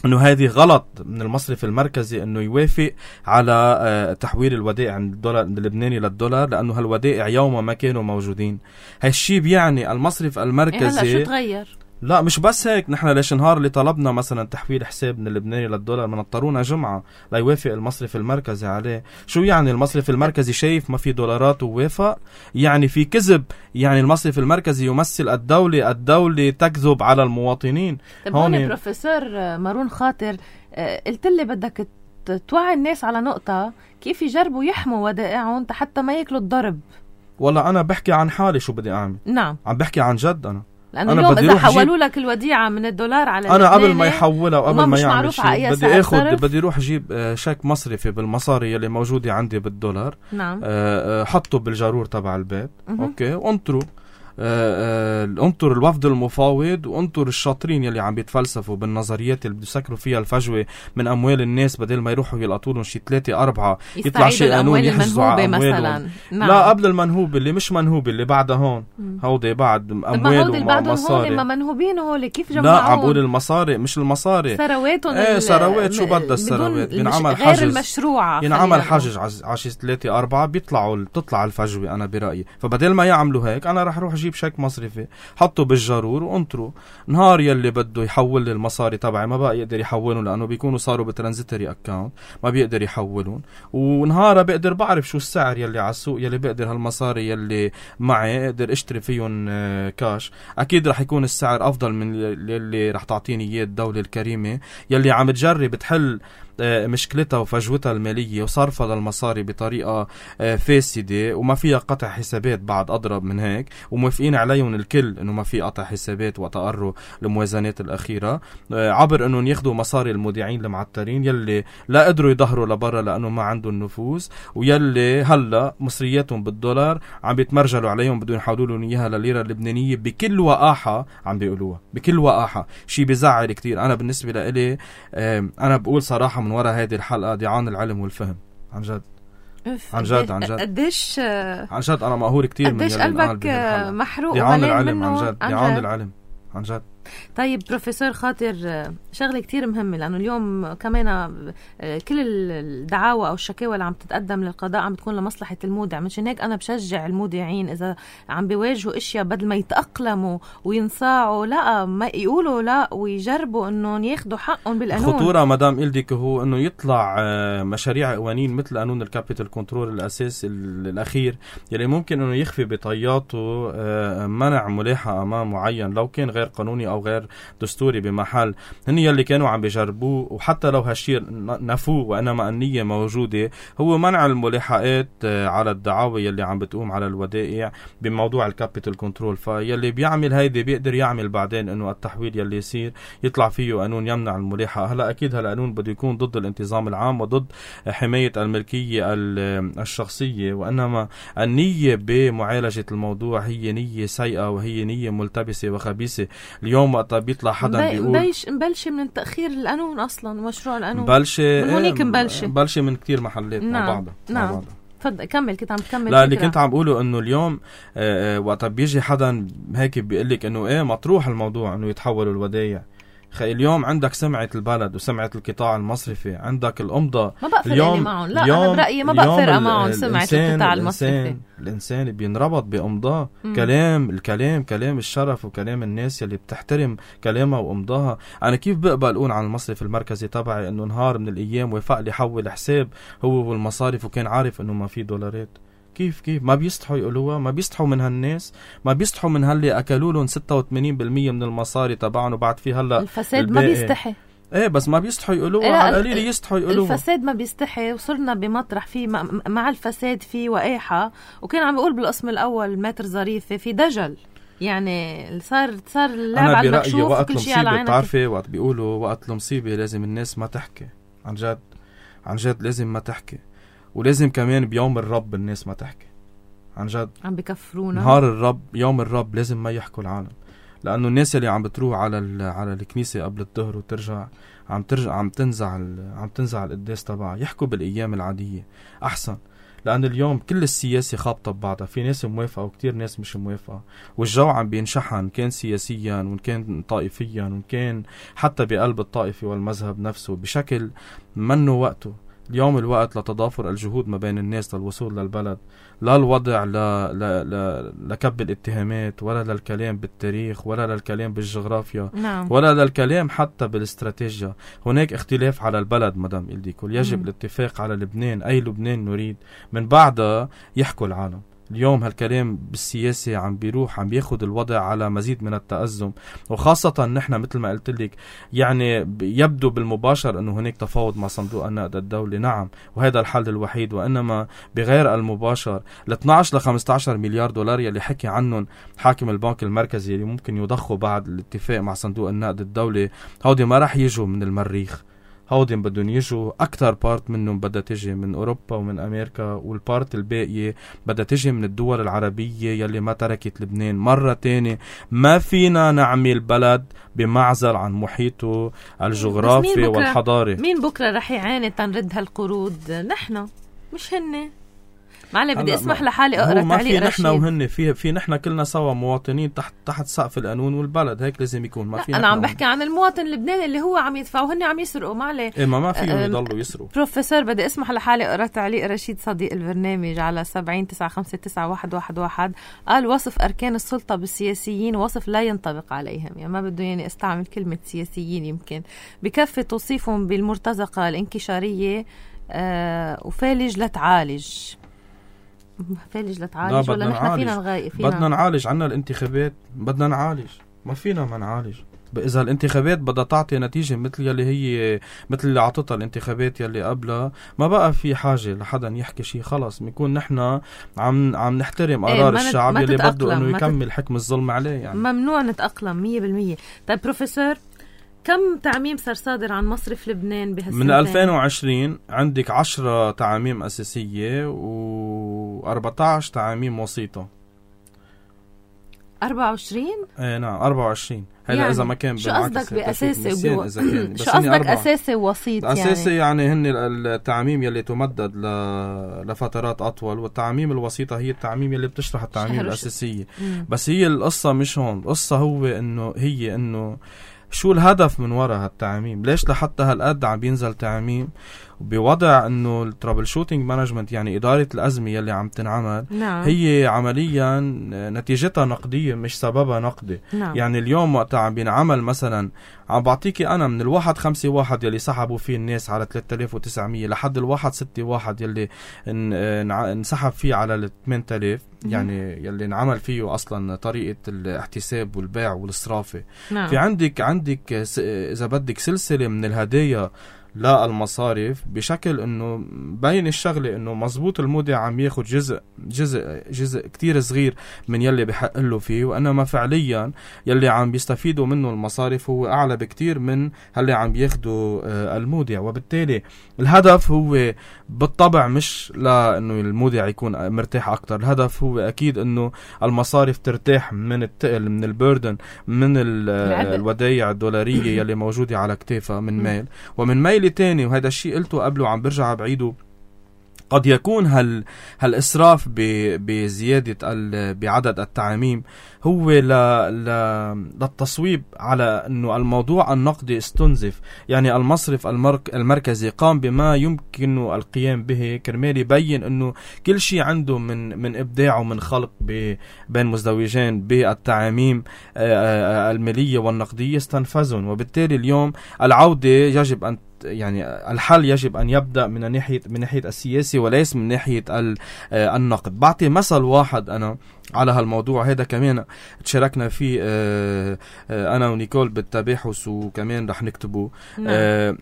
انه هذه غلط من المصرف المركزي انه يوافق على تحويل الودائع من الدولار اللبناني للدولار، لانه هالودائع يوما ما كانوا موجودين. هالشي بيعني المصرف المركزي إيه هلا شو تغير؟ لا مش بس هيك، نحن ليش نهار اللي طلبنا مثلا تحويل حساب من اللبناني للدولار من اضطرونا جمعة لا يوافق المصرف المركزي عليه. شو يعني المصرف المركزي شايف ما في دولارات ووافق؟ يعني في كذب، يعني المصرف المركزي يمثل الدولة، الدولة تكذب على المواطنين. طيب هون بروفيسور مارون خاطر قلت لي بدك توعي الناس على نقطة كيف يجربوا يحموا ودائعهم حتى ما ياكلوا الضرب. والله أنا بحكي عن حالي شو بدي أعمل. نعم عم بحكي عن جد أنا. لأنه اليوم إذا حولوا لك الوديعة من الدولار على أنا قبل ما يحولها وقبل ما يعمل شيء بدي أخذ صرف. بدي أروح أجيب شيك مصرفي بالمصاري اللي موجودة عندي بالدولار. نعم. حطه بالجارور تبع البيت. م- أوكي وانطروا انطر الوفد المفاوض وانطر الشاطرين يلي عم بيتفلسفوا بالنظريات اللي بده يسكروا فيها الفجوة من أموال الناس بدل ما يروحوا يلقطوا لهم شي ثلاثة أربعة يطلع شي قانون يحجزوا على أموالهم. نعم. لا قبل المنهوب اللي مش منهوب اللي بعدها هون هودي بعد أموال ومصاري. ما منهوبين هول كيف جمعون؟ لا عم بقول المصاري مش المصاري ثرواتهم. ايه ثروات شو بدها الثروات بينعمل حجز غير المشروعة ينعمل حجز على شي ثلاثة أربعة بيطلعوا تطلع الفجوة. أنا برأيي فبدل ما يعملوا هيك أنا رح روح أجيب شيك مصرفي حطوا بالجارور وانطروا نهار يلي بده يحول لي المصاري تبعي ما بقى يقدر يحولهم لانه بيكونوا صاروا بترانزيتري اكاونت ما بيقدر يحولون. ونهار بقدر بعرف شو السعر يلي على السوق يلي بقدر هالمصاري يلي معي اقدر اشتري فيهم كاش. اكيد رح يكون السعر افضل من اللي رح تعطيني اياه الدولة الكريمة يلي عم تجرب تحل مشكلتها وفجوتها المالية وصرفها للمصاري بطريقة فاسدة وما فيها قطع حسابات. بعد أضرب من هيك وموافقين عليهم الكل إنه ما في قطع حسابات وتقروا الموازنات الأخيرة عبر إنهم ياخدوا مصاري المودعين المعترين يلي لا قدروا يظهروا لبرا لأنه ما عندهم نفوذ ويلي هلا مصرياتهم بالدولار عم بيتمرجلوا عليهم بدون يحولوا لهم إياها لليرة اللبنانية بكل وقاحة عم بيقولوها بكل وقاحة. شيء بيزعل كتير. أنا بالنسبة لإلي أنا بقول صراحة من وراء هذه الحلقة ضيعان العلم والفهم عن جد عن جد عن جد قديش عن جد أنا مقهور كتير من قديش قلبك محروق ضيعان العلم عن جد ضيعان العلم عن جد. طيب بروفيسور خاطر شغلة كتير مهمة لأنه اليوم كمان كل الدعاوى أو الشكاوى اللي عم تتقدم للقضاء عم تكون لمصلحة المودع. مشان هيك أنا بشجع المودعين إذا عم بيواجهوا إشياء بدل ما يتأقلموا وينصاعوا لا ما يقولوا لا ويجربوا إنهم ياخدوا حقهم بالقانون. الخطورة مدام إلديك هو إنه يطلع مشاريع قوانين مثل قانون الكابيتال كنترول الأساس الأخير يلي ممكن إنه يخفي بطياته منع ملاحة أمام معين لو كان غير قانوني أو غير دستوري بمحل. هن يلي كانوا عم بيجربوه وحتى لو هالشيء نفوه وإنما النية موجودة هو منع الملاحقات على الدعاوى يلي عم بتقوم على الودائع بموضوع الكابيتال كنترول. فيلي بيعمل هيدي بيقدر يعمل بعدين إنه التحويل يلي يصير يطلع فيه قانون يمنع الملاحقة. هلا أكيد هالقانون بده يكون ضد الانتظام العام وضد حماية الملكية الشخصية وإنما النية بمعالجة الموضوع هي نية سيئة وهي نية ملتبسة وخبيثة. اليوم وقت بيطلع حدا بيقول مبلش مبلش من تأخير القانون أصلا مشروع القانون مبلش من هونيك مبلش مبلش من كتير محلات نعم. مع بعضها نعم مع تفضل كمل كنت عم تكمل. لا اللي كنت عم بقوله انه اليوم آه آه وقت بيجي حدا هيك بيقلك انه ايه مطروح الموضوع انه يتحولوا الودايع. خي اليوم عندك سمعة البلد وسمعة القطاع المصرفي عندك الأمضة ما بقى فرق معهم. لا أنا برأيي ما بقى فرق معهم سمعة القطاع المصرفي. الإنسان بينربط بأمضاه. كلام الكلام كلام الشرف وكلام الناس يلي بتحترم كلامها وأمضاها. أنا كيف بقبل أقول عن المصرف المركزي تبعي إنه نهار من الأيام وفق لي حول حساب هو والمصارف وكان عارف إنه ما في دولارات؟ كيف كيف ما بيستحوا يقولوها؟ ما بيستحوا من هالناس؟ ما بيستحوا من هاللي أكلوا لهم ستة وثمانين بالمية من المصاري تبعهم وبعد في هلا الفساد الباقي. ما بيستحي ايه بس ما بيستحوا يقولوها. إيه على القليل يستحوا يقولوها. الفساد ما بيستحي وصرنا بمطرح في مع الفساد في وقاحة. وكان عم بيقول بالقسم الأول ماتر ظريفة في دجل يعني صار صار اللعب على المكشوف وكل شيء على عينك. بتعرفي وقت بيقولوا وقت المصيبة لازم الناس ما تحكي عن جد عن جد لازم ما تحكي ولازم كمان بيوم الرب الناس ما تحكي عن جد. عم بكفرونا نهار الرب يوم الرب لازم ما يحكوا العالم لأنه الناس اللي عم بتروح على على الكنيسة قبل الظهر وترجع عم ترجع عم تنزع عم تنزع القداس تبعها يحكوا بالأيام العادية أحسن. لأن اليوم كل السياسة خابطة ببعضها، في ناس موافقة وكتير ناس مش موافقة، والجو عم بينشحن كان سياسيا وإن كان طائفيا وإن كان حتى بقلب الطائفة والمذهب نفسه بشكل منه وقته. اليوم الوقت لتضافر الجهود ما بين الناس للوصول للبلد، لا الوضع لا لا لا لكب الاتهامات ولا للكلام بالتاريخ ولا للكلام بالجغرافيا نعم. ولا للكلام حتى بالاستراتيجية. هناك اختلاف على البلد مدام إلديكول، يجب م. الاتفاق على لبنان، أي لبنان نريد، من بعدها يحكوا العالم. اليوم هالكلام بالسياسة عم بيروح عم بياخد الوضع على مزيد من التأزم، وخاصة نحن مثل ما قلت لك يعني يبدو بالمباشر أنه هناك تفاوض مع صندوق النقد الدولي، نعم، وهذا الحل الوحيد، وإنما بغير المباشر ال اثناشر ل خمسة عشر مليار دولار يلي حكي عنهم حاكم البنك المركزي اللي ممكن يضخوا بعد الاتفاق مع صندوق النقد الدولي، هودي ما رح يجوا من المريخ، هودي بدهم يجوا أكتر بارت منهم بدها تجي من أوروبا ومن أمريكا، والبارت الباقية بدها تجي من الدول العربية يلي ما تركت لبنان. مرة تانية ما فينا نعمل بلد بمعزل عن محيطه الجغرافي والحضاري. مين بكرة رح يعاني تنرد هالقروض؟ نحن مش هن. معلي بدي اسمح لحالي اقرا تعليق رشيد. نحن وهن في في نحن كلنا سوا مواطنين تحت تحت سقف القانون والبلد، هيك لازم يكون. ما في انا عم بحكي عن المواطن اللبناني اللي هو عم يدفع وهن عم يسرقوا. معلي إيه ما ما فيهم يضلوا يسرقوا. بروفيسور بدي اسمح لحالي اقرا تعليق رشيد صديق البرنامج على سبعين تسعة خمسة تسعة واحد واحد واحد. قال وصف اركان السلطه بالسياسيين وصف لا ينطبق عليهم، يعني ما بده يعني استعمل كلمه سياسيين، يمكن بكفي توصيفهم بالمرتزقه الانكشاريه آه وفالج لتعالج. فالج لتعالج ولا نحن فينا نغايق؟ فينا بدنا نعالج. عنا الانتخابات بدنا نعالج، ما فينا ما نعالج. إذا الانتخابات بدها تعطي نتيجة مثل يلي هي مثل اللي عطتها الانتخابات يلي قبلها، ما بقى في حاجة لحدا يحكي شيء. خلص بنكون نحن عم عم نحترم قرار ايه الشعب يلي بده انه يكمل تت... حكم الظلم عليه. يعني ممنوع نتأقلم مية بالمية. طيب بروفيسور، كم تعميم صار صادر عن مصرف لبنان بهالسنتين؟ من ألفين وعشرين عندك عشرة تعاميم أساسية وأربعة عشر تعاميم وسيطة. أربعة وعشرين؟ ايه نعم أربعة وعشرين. هذا يعني إذا ما كان شو قصدك بأساسي وجو... شو قصدك أساسي ووسيط؟ يعني أساسي يعني هن التعميم يلي تمدد ل... لفترات أطول، والتعميم الوسيطة هي التعميم يلي بتشرح التعميم الأساسية. مم. بس هي القصة مش هون، القصة هو إنه هي إنه شو الهدف من وراء هالتعميم؟ ليش لحتى هالقد عم بينزل تعميم بوضع انه الترابل شوتينج مانجمنت، يعني اداره الازمه يلي عم تنعمل، نعم. هي عمليا نتيجتها نقديه مش سببها نقدي. نعم. يعني اليوم وقت عم بينعمل مثلا، عم بعطيكي انا من الواحد خمسة واحد يلي سحبوا فيه الناس على ثلاثة آلاف وتسعمية لحد الواحد ستة واحد يلي انسحب فيه على ثمانية آلاف، يعني يلي انعمل فيه اصلا طريقه الاحتساب والبيع والصرافه. نعم. في عندك عندك اذا بدك سلسله من الهدايا لا المصارف، بشكل انه بين الشغله انه مزبوط المودع عم ياخد جزء جزء جزء كتير صغير من يلي بحق له فيه، وانما فعليا يلي عم بيستفيدوا منه المصارف هو اعلى بكتير من اللي عم بياخده المودع. وبالتالي الهدف هو بالطبع مش لانه المودع يكون مرتاح اكتر، الهدف هو اكيد انه المصارف ترتاح من التقل من البردن من الودايع الدولاريه يلي موجوده على كتافها من مال ومن ميل تاني. وهذا الشيء قلته قبله عم برجع بعيده، قد يكون هال هالإسراف بزيادة بعدد التعاميم هو ل ل للتصويب على أنه الموضوع النقدي استنزف. يعني المصرف المرك المركزي قام بما يمكن القيام به كرمال يبين أنه كل شيء عنده من من إبداع ومن خلق بين مزدوجين بالتعاميم المالية والنقدية استنفذهم. وبالتالي اليوم العودة يجب أن يعني الحل يجب أن يبدأ من ناحية من ناحية السياسي وليس من ناحية النقد. بعطي مثل واحد أنا على هالموضوع هذا كمان تشاركنا فيه أنا ونيكول بالتباحث وكمان رح نكتبه. نعم.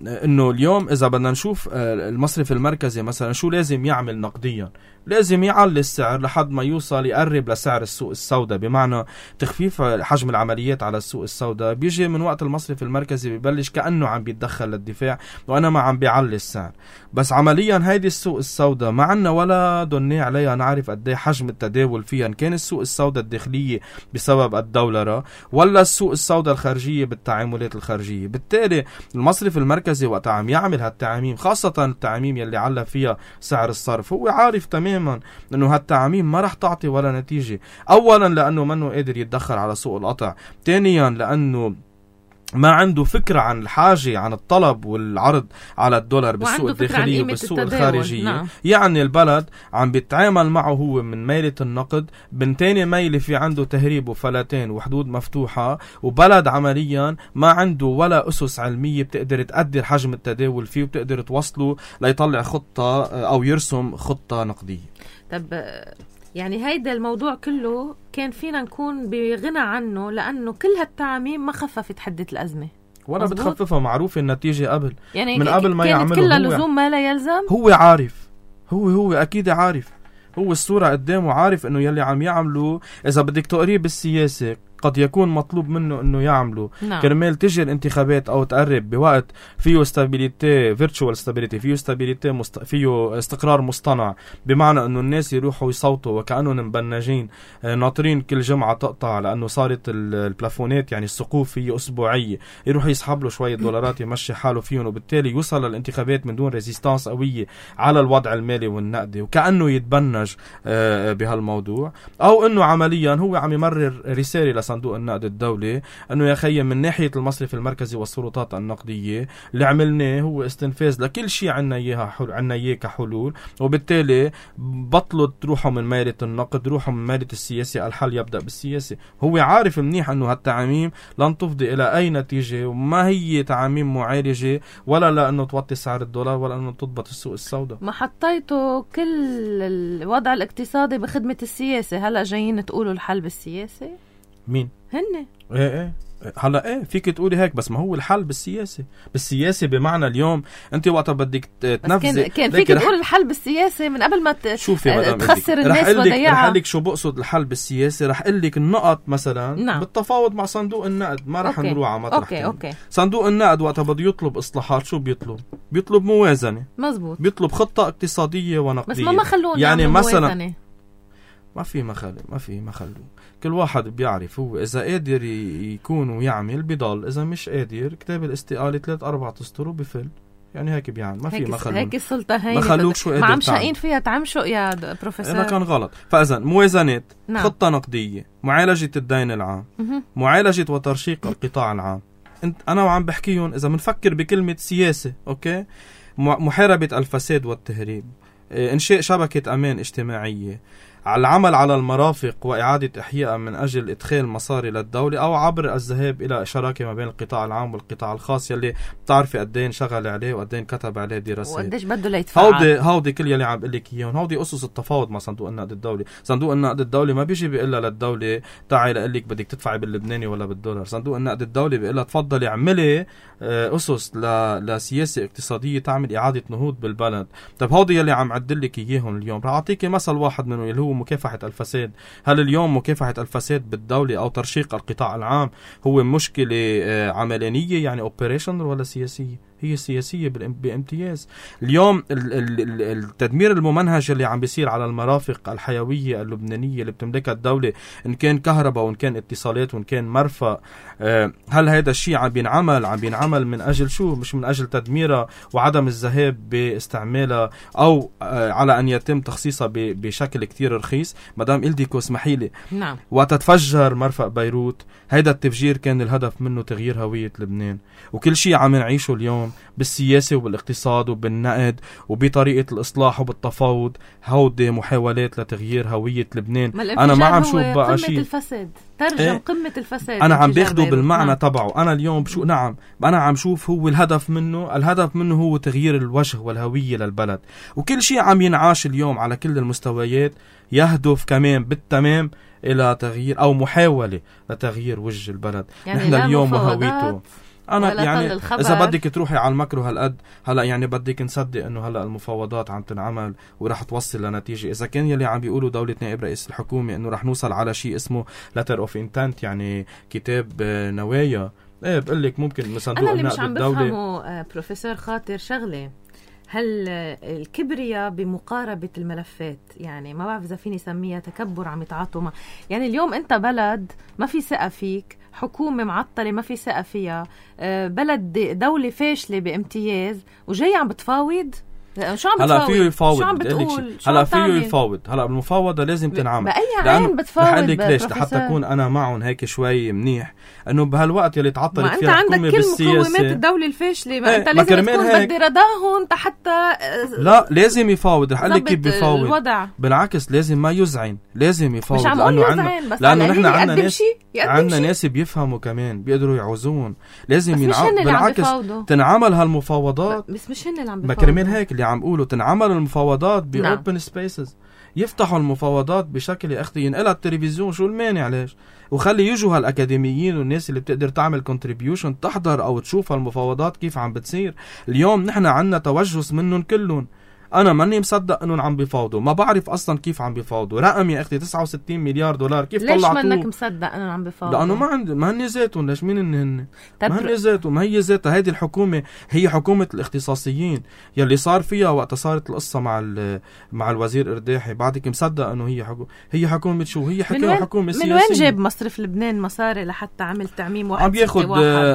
إنه اليوم إذا بدنا نشوف المصرف المركزي مثلا شو لازم يعمل نقديا، لازم يعلي السعر لحد ما يوصل يقرب لسعر السوق السوداء، بمعنى تخفيف حجم العمليات على السوق السوداء بيجي من وقت المصرف المركزي ببلش كأنه عم بيتدخل للدفاع وأنا ما عم بيعلي السعر. بس عمليا هيدي السوق السوداء ما عنا ولا دني عليها نعرف قد ايه حجم التداول فيها، إن كان السوق السوداء الداخلية بسبب الدولارة ولا السوق السوداء الخارجية بالتعاملات الخارجية. بالتالي المصرف المركزي وقت عم يعمل هالتعاميم، خاصة التعاميم يلي علّى فيها سعر الصرف، هو عارف تماما انه هالتعاميم ما رح تعطي ولا نتيجة. اولا لانه منه قادر يتدخل على سوق القطع، ثانيا لانه ما عنده فكرة عن الحاجة، عن الطلب والعرض على الدولار بالسوق الداخلي وبالسوق الخارجي. نعم. يعني البلد عم بيتعامل معه هو من ميلة النقد، من تاني ميلة في عنده تهريب وفلاتين وحدود مفتوحة، وبلد عمليا ما عنده ولا أسس علمية بتقدر تقدر حجم التداول فيه وبتقدر توصله ليطلع خطة أو يرسم خطة نقدية. طب يعني هيدا الموضوع كله كان فينا نكون بغنى عنه، لأنه كل هالتعاميم ما خففت حدة الأزمة ولا بتخففها. معروف النتيجة قبل، يعني من قبل ما يعمله كلها لزوم ما لا يلزم. هو عارف، هو هو أكيد عارف، هو الصورة قدامه عارف إنه يلي عم يعمله إذا بدك تقريب بالسياسة قد يكون مطلوب منه انه يعمله. نعم. كرمال تجي الانتخابات او تقرب بوقت فيه استابيليتي، فيرتشوال استابيليتي، فيه استابيليتي مست... فيه استقرار مصطنع، بمعنى انه الناس يروحوا يصوتوا وكأنهم مبنجين ناطرين كل جمعة تقطع، لانه صارت البلافونات يعني السقوف فيه اسبوعية، يروح يسحب له شوية دولارات يمشي حاله فيهم، وبالتالي يوصل للانتخابات من دون ريزيستانس قوية على الوضع المالي والنقدي، وكأنه يتبنج بهالموضوع. او انه عمليا هو عم يمرر رسالة صندوق النقد الدولي انه يا خيي من ناحيه المصرف المركزي والسلطات النقديه اللي عملناه هو استنفاذ لكل شيء عنا اياها حل... عنا اياه كحلول، وبالتالي بطلوا تروحوا من ميله النقد، روحوا من ميله السياسه، الحل يبدا بالسياسه. هو عارف منيح انه هالتعاميم لن تفضي الى اي نتيجه، وما هي تعاميم معالجه ولا لانه توطي سعر الدولار ولا انه تضبط السوق السوداء. ما حطيتوا كل الوضع الاقتصادي بخدمه السياسه، هلا جايين تقولوا الحل بالسياسه؟ مين؟ هن ايه ايه هلا ايه فيك تقولي هيك، بس ما هو الحل بالسياسه. بالسياسه بمعنى اليوم انت وقت بدك تنفذي، كان, كان فيك تقول الحل بالسياسه من قبل ما ت... شوفي تخسر الناس وضيعها. رح اقول لك شو بقصد الحل بالسياسه، رح اقول لك النقط مثلا. نعم. بالتفاوض مع صندوق النقد، ما رح نروح على مطرح أوكي. أوكي. صندوق النقد وقت بده يطلب اصلاحات شو بيطلب؟ بيطلب موازنه. مزبوط. بيطلب خطه اقتصاديه ونقديه. بس ما ما خلونا يعني مثلا موازنة. ما في مخلو ما في مخلو كل واحد بيعرف هو إذا قادر يكون ويعمل بضل، إذا مش قادر كتاب الاستقالة ثلاث أربع أسطر وبفل. يعني هيك بيعمل، ما في مخلوق. هيك السلطة هي مخلوق شو قادر ما عم شاقين فيها تعمشق يا بروفيسور. أنا كان غلط. فإذا موازنات. نعم. خطة نقدية، معالجة الدين العام، م- معالجة وترشيق القطاع العام. انت أنا وعم بحكيهم إذا منفكر بكلمة سياسة، أوكي، محاربة الفساد والتهريب، إنشاء شبكة أمان اجتماعية، على العمل على المرافق وإعادة إحياء من أجل إدخال مصاري للدولة، أو عبر الذهاب إلى شراكة ما بين القطاع العام والقطاع الخاص يلي بتعرفي قدين شغل عليه وقدين كتب عليه دراسات وقديش بده ليتفعل. هودي هودي كل يلي عم بقول لك إياهم، هودي أسس التفاوض مع صندوق النقد الدولي. صندوق النقد الدولي ما بيجي بيقول للدولة تعي لقول لك بدك تدفعي باللبناني ولا بالدولار. صندوق النقد الدولي بيقول لها تفضلي اعملي أسس لسياسة اقتصادية تعمل إعادة نهوض بالبلد. طب هودي يلي عم عدل لك إياهم اليوم. رح أعطيكي مثل واحد منهم اللي هو مكافحة الفساد. هل اليوم مكافحة الفساد بالدولة أو ترشيق القطاع العام هو مشكلة عملانية يعني اوبريشن ولا سياسية؟ هي سياسية بامتياز. اليوم التدمير الممنهج اللي عم بيصير على المرافق الحيوية اللبنانية اللي بتملكها الدولة، إن كان كهرباء وإن كان اتصالات وإن كان مرفأ، هل هذا الشيء عم بينعمل عم بينعمل من أجل شو؟ مش من أجل تدميرها وعدم الذهاب باستعمالها أو على أن يتم تخصيصها بشكل كتير رخيص. مدام إلديكو اسمحي لي، نعم، وقت تفجر مرفأ بيروت هيدا التفجير كان الهدف منه تغيير هوية لبنان. وكل شيء عم نعيشه اليوم بالسياسة وبالاقتصاد وبالنقد وبطريقة الإصلاح وبالتفاوض هودي محاولات لتغيير هوية لبنان. أنا ما عم شوف بقى شيء الفساد ترجم إيه؟ قمة الفساد أنا عم باخده بالمعنى نعم. تبعه. أنا اليوم شو نعم أنا عم شوف هو الهدف منه الهدف منه هو تغيير الوجه والهوية للبلد. وكل شيء عم ينعاش اليوم على كل المستويات يهدف كمان بالتمام إلى تغيير أو محاولة لتغيير وجه البلد. يعني نحن اليوم وهويته انا ولا يعني طل الخبر. اذا بدك تروحي على المكرو هالقد هلا يعني بدك نصدق انه هلا المفاوضات عم تنعمل ورح توصل لنتيجه. اذا كان يلي عم بيقولوا دوله نائب رئيس الحكومه انه رح نوصل على شيء اسمه letter of intent يعني كتاب نوايا، ايه بقول لك ممكن من صندوق النقد الدولي. انا اللي مش عم بفهمه بروفيسور خاطر شغله، هل الكبرياء بمقاربة الملفات، يعني ما بعرف إذا فيني سميها تكبر عم يتعاطوا مع، يعني اليوم أنت بلد ما في ثقة فيك، حكومة معطلة ما في ثقة فيها، بلد دولة فاشلة بامتياز وجاي عم بتفاوض. شو عم هلا فيه يفاوض، شو عم بتقول؟ هلا فيه يفاوض، هلا المفاوضة لازم تنعمل. بأي عين بتفاوض؟ رح لك ليش لحتى أكون أنا معهم هيك شوي منيح، إنه بهالوقت يلي تعطلت فيها الحكومة بالسياسة، ما أنت عندك كل مقومات الدولة الفاشلة، ما ايه أنت لازم تكون بدي رضاهم حتى. لا لازم يفاوض، رح لك كيف بيفاوض الوضع. بالعكس لازم ما يزعن، لازم يفاوض، مش عم لأنه عنا لأنه نحن عنا ناس عنا ناس بيفهموا كمان بيقدروا يعوزون، لازم ينعمل بالعكس تنعمل هالمفاوضات. بس مش هن اللي عم بيفاوضوا، ما كرمال هيك اللي عم قولوا تنعمل المفاوضات بأوبن سبيسز، يفتحوا المفاوضات بشكل يا اختي ينقلها التلفزيون، شو المانع ليش؟ وخلي يجوا هالاكاديميين والناس اللي بتقدر تعمل كونتريبيوشن تحضر او تشوف هالمفاوضات كيف عم بتصير. اليوم نحن عنا توجس منهم كلهم، انا ماني مصدق انهم عم بيفاوضوا، ما بعرف اصلا كيف عم بيفاوضوا. رقم يا اختي تسعة وستين مليار دولار، كيف طلعتوه؟ ليش منك مصدق انهم عم بيفاوضوا؟ لانه ما عند ما هن ذاتهم، ليش مين هن هن ما هن ذاتهم، ما هي ذاتها هيدي الحكومه، هي حكومه الاختصاصيين يلي صار فيها وقت صارت القصه مع مع الوزير ارداحي. بعدك مصدق انه هي حكومه هي حكومه شو هي حكومه حكومه سياسيه. من وين جاب مصرف لبنان مصاري لحتى عمل تعميم واحد عم بياخد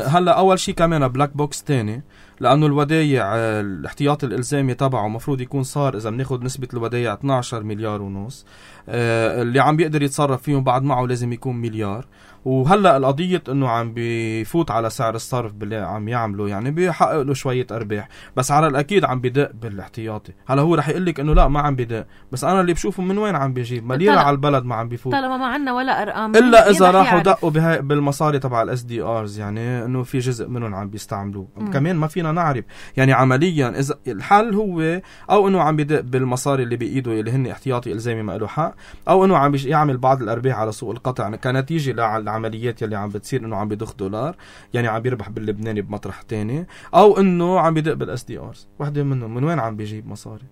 هلا اول شيء كمان بلاك بوكس تاني، لانه الودايع الاحتياطي الالزامي تبعه مفروض يكون صار اذا بناخد نسبه الودايع اثني عشر مليار ونص، آه اللي عم بيقدر يتصرف فيهم بعد معه لازم يكون مليار. وهلا القضيه انه عم بيفوت على سعر الصرف باللي عم يعمله، يعني بيحقق له شويه ارباح، بس على الاكيد عم بدق بالاحتياطي. هلا هو رح يقول لك انه لا ما عم بدق، بس انا اللي بشوفه من وين عم بيجيب مليره على البلد ما عم بيفوت، طالما ما عندنا ولا ارقام الا اذا راحوا دقوا بالمصاري تبع الاس دي ارز، يعني انه في جزء منهم عم بيستعملوه كمان ما فينا نعرف. يعني عمليا اذا الحل هو او انه عم بدق بالمصاري اللي بايده اللي هن احتياطي الزامي ما له حق، او انه عم يعمل بعض الارباح على سوق القطع كنتيجه للعمليات يلي عم بتصير، انه عم بيضخ دولار يعني عم بيربح باللبناني بمطرح تاني، او انه عم بيدق بالاس دي ارز. وحده منهم من وين عم بيجيب مصاري؟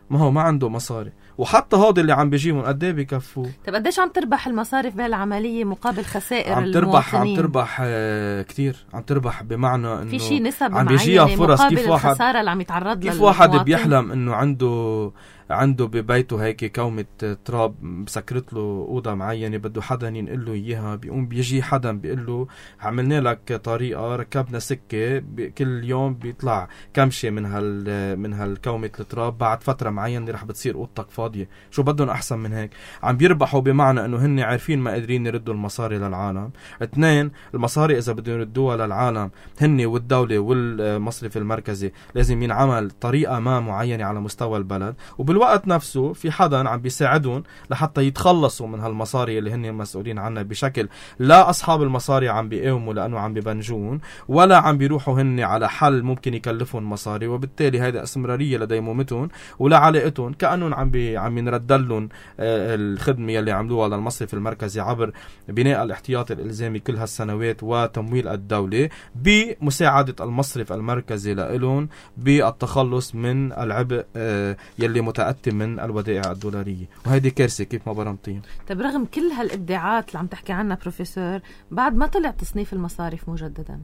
ما هو ما عنده مصاري، وحتى هذا اللي عم بيجيبهم قد ايه بكفوه؟ طيب قديش عم تربح المصارف بهالعمليه مقابل خسائر عم تربح المواطنين؟ عم تربح آه كتير، عم تربح بمعنى انه في شيء نسب عم بيجيها فرص. كيف واحد الخساره اللي عم يتعرض لها، كيف واحد بيحلم انه عنده عنده ببيته هيك كومة تراب مسكرت له أوضة معينة بده حدا ينقل له إياها، بيقوم بيجي حدا بيقول له عملنا لك طريقة، ركبنا سكة، كل يوم بيطلع كمشة من هال من هالكومة التراب، بعد فترة معينة رح بتصير أوضتك فاضية. شو بدهم أحسن من هيك؟ عم بيربحوا بمعنى إنه هن عارفين ما قادرين يردوا المصاري للعالم. اثنين، المصاري إذا بدهم يردوها للعالم هن والدولة والمصرف المركزي لازم ينعمل طريقة ما معينة على مستوى البلد، وبال الوقت نفسه في حدا عم بيساعدهم لحتى يتخلصوا من هالمصاري اللي هن المسؤولين عنها، بشكل لا أصحاب المصاري عم بيقاوموا لأنه عم ببنجون، ولا عم بيروحوا هن على حل ممكن يكلفهم مصاري، وبالتالي هذا استمرارية لديمومتهم ولا علاقتهم، كأنهم عم بي عم ينردلهم آه الخدمة اللي عملوها للمصرف المركزي عبر بناء الاحتياطي الإلزامي كل هالسنوات وتمويل الدولة بمساعدة المصرف المركزي لهم بالتخلص من العبء آه يلي متأثر من الودائع الدولارية، وهيدي كارثة كيف ما برمتين. طيب رغم كل هالإبداعات اللي عم تحكي عنها بروفيسور، بعد ما طلع تصنيف المصارف مجددا،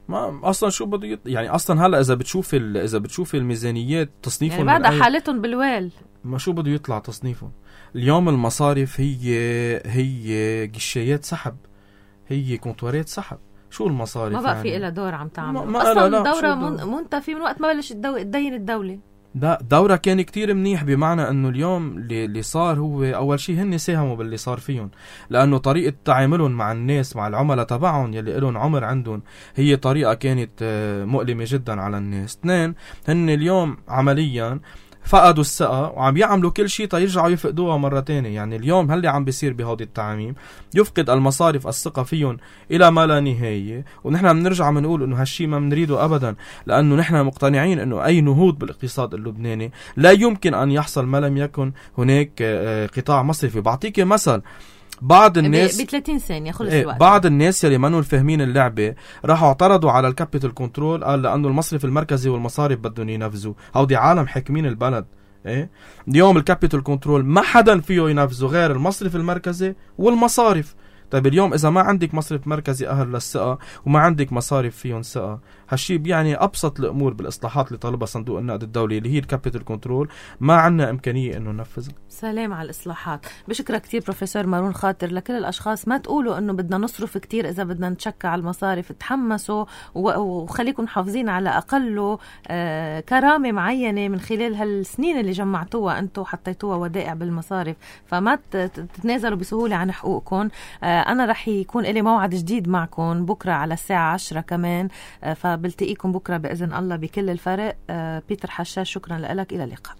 ما اصلا شو بده يط... يعني اصلا هلا اذا بتشوف ال... اذا بتشوف الميزانيات تصنيفهم يعني بعد حالتهم بالويل، ما شو بده يطلع تصنيفهم. اليوم المصارف هي هي قشايات سحب، هي كونتوارات سحب. شو المصارف؟ ما بقى يعني في إلها دور عم تعمل ما... ما اصلا لا لا دورة من... منتفي من وقت ما بلش الدو... تدين الدولة. ده دورة كان كتير منيح، بمعنى انه اليوم اللي صار هو اول شيء هن ساهموا باللي صار فيهم، لانه طريقة تعاملهم مع الناس مع العملاء تبعهم يلي لهم عمر عندهم هي طريقة كانت مؤلمة جدا على الناس. اثنين، هن اليوم عمليا فقدوا الثقة وعم يعملوا كل شيء تيرجعوا يفقدوها مرة تانية. يعني اليوم هل عم بيصير بهذه التعاميم يفقد المصارف الثقة فيهم إلى ما لا نهاية، ونحن بنرجع بنقول إنه هالشيء ما بنريده أبدا، لأنه نحن مقتنعين إنه أي نهوض بالاقتصاد اللبناني لا يمكن أن يحصل ما لم يكن هناك قطاع مصرفي. بعطيك مثل، بعض الناس ب ثلاثين ثانية خلص ايه الوقت. بعض الناس يلي منو فاهمين اللعبة راحوا اعترضوا على الكابيتال كنترول، قال لأنه المصرف المركزي والمصارف بدهم ينفذوا. هودي عالم حاكمين البلد. ايه اليوم الكابيتال كنترول ما حدا فيه ينفذه غير المصرف المركزي والمصارف. طيب اليوم إذا ما عندك مصرف مركزي أهل للثقة وما عندك مصارف فيهم ثقة، هالشي بيعني أبسط الأمور بالإصلاحات اللي طلبها صندوق النقد الدولي اللي هي الكابيتال كنترول ما عنا إمكانية إنه ننفذها. سلام على الإصلاحات. بشكرك كتير بروفيسور مارون خاطر. لكل الأشخاص ما تقولوا إنه بدنا نصرف كتير إذا بدنا نتشكى على المصارف، تحمسوا وخليكم حافظين على أقله آه كرامة معينة من خلال هالسنين اللي جمعتوها أنتوا حطيتوها ودائع بالمصارف، فما تتنازلوا بسهولة عن حقوقكم. آه أنا رح يكون إلي موعد جديد معكم بكرة على الساعة عشرة كمان، فبلتقيكم بكرة بإذن الله بكل الفرق. بيتر حشاش، شكرا لك، إلى اللقاء.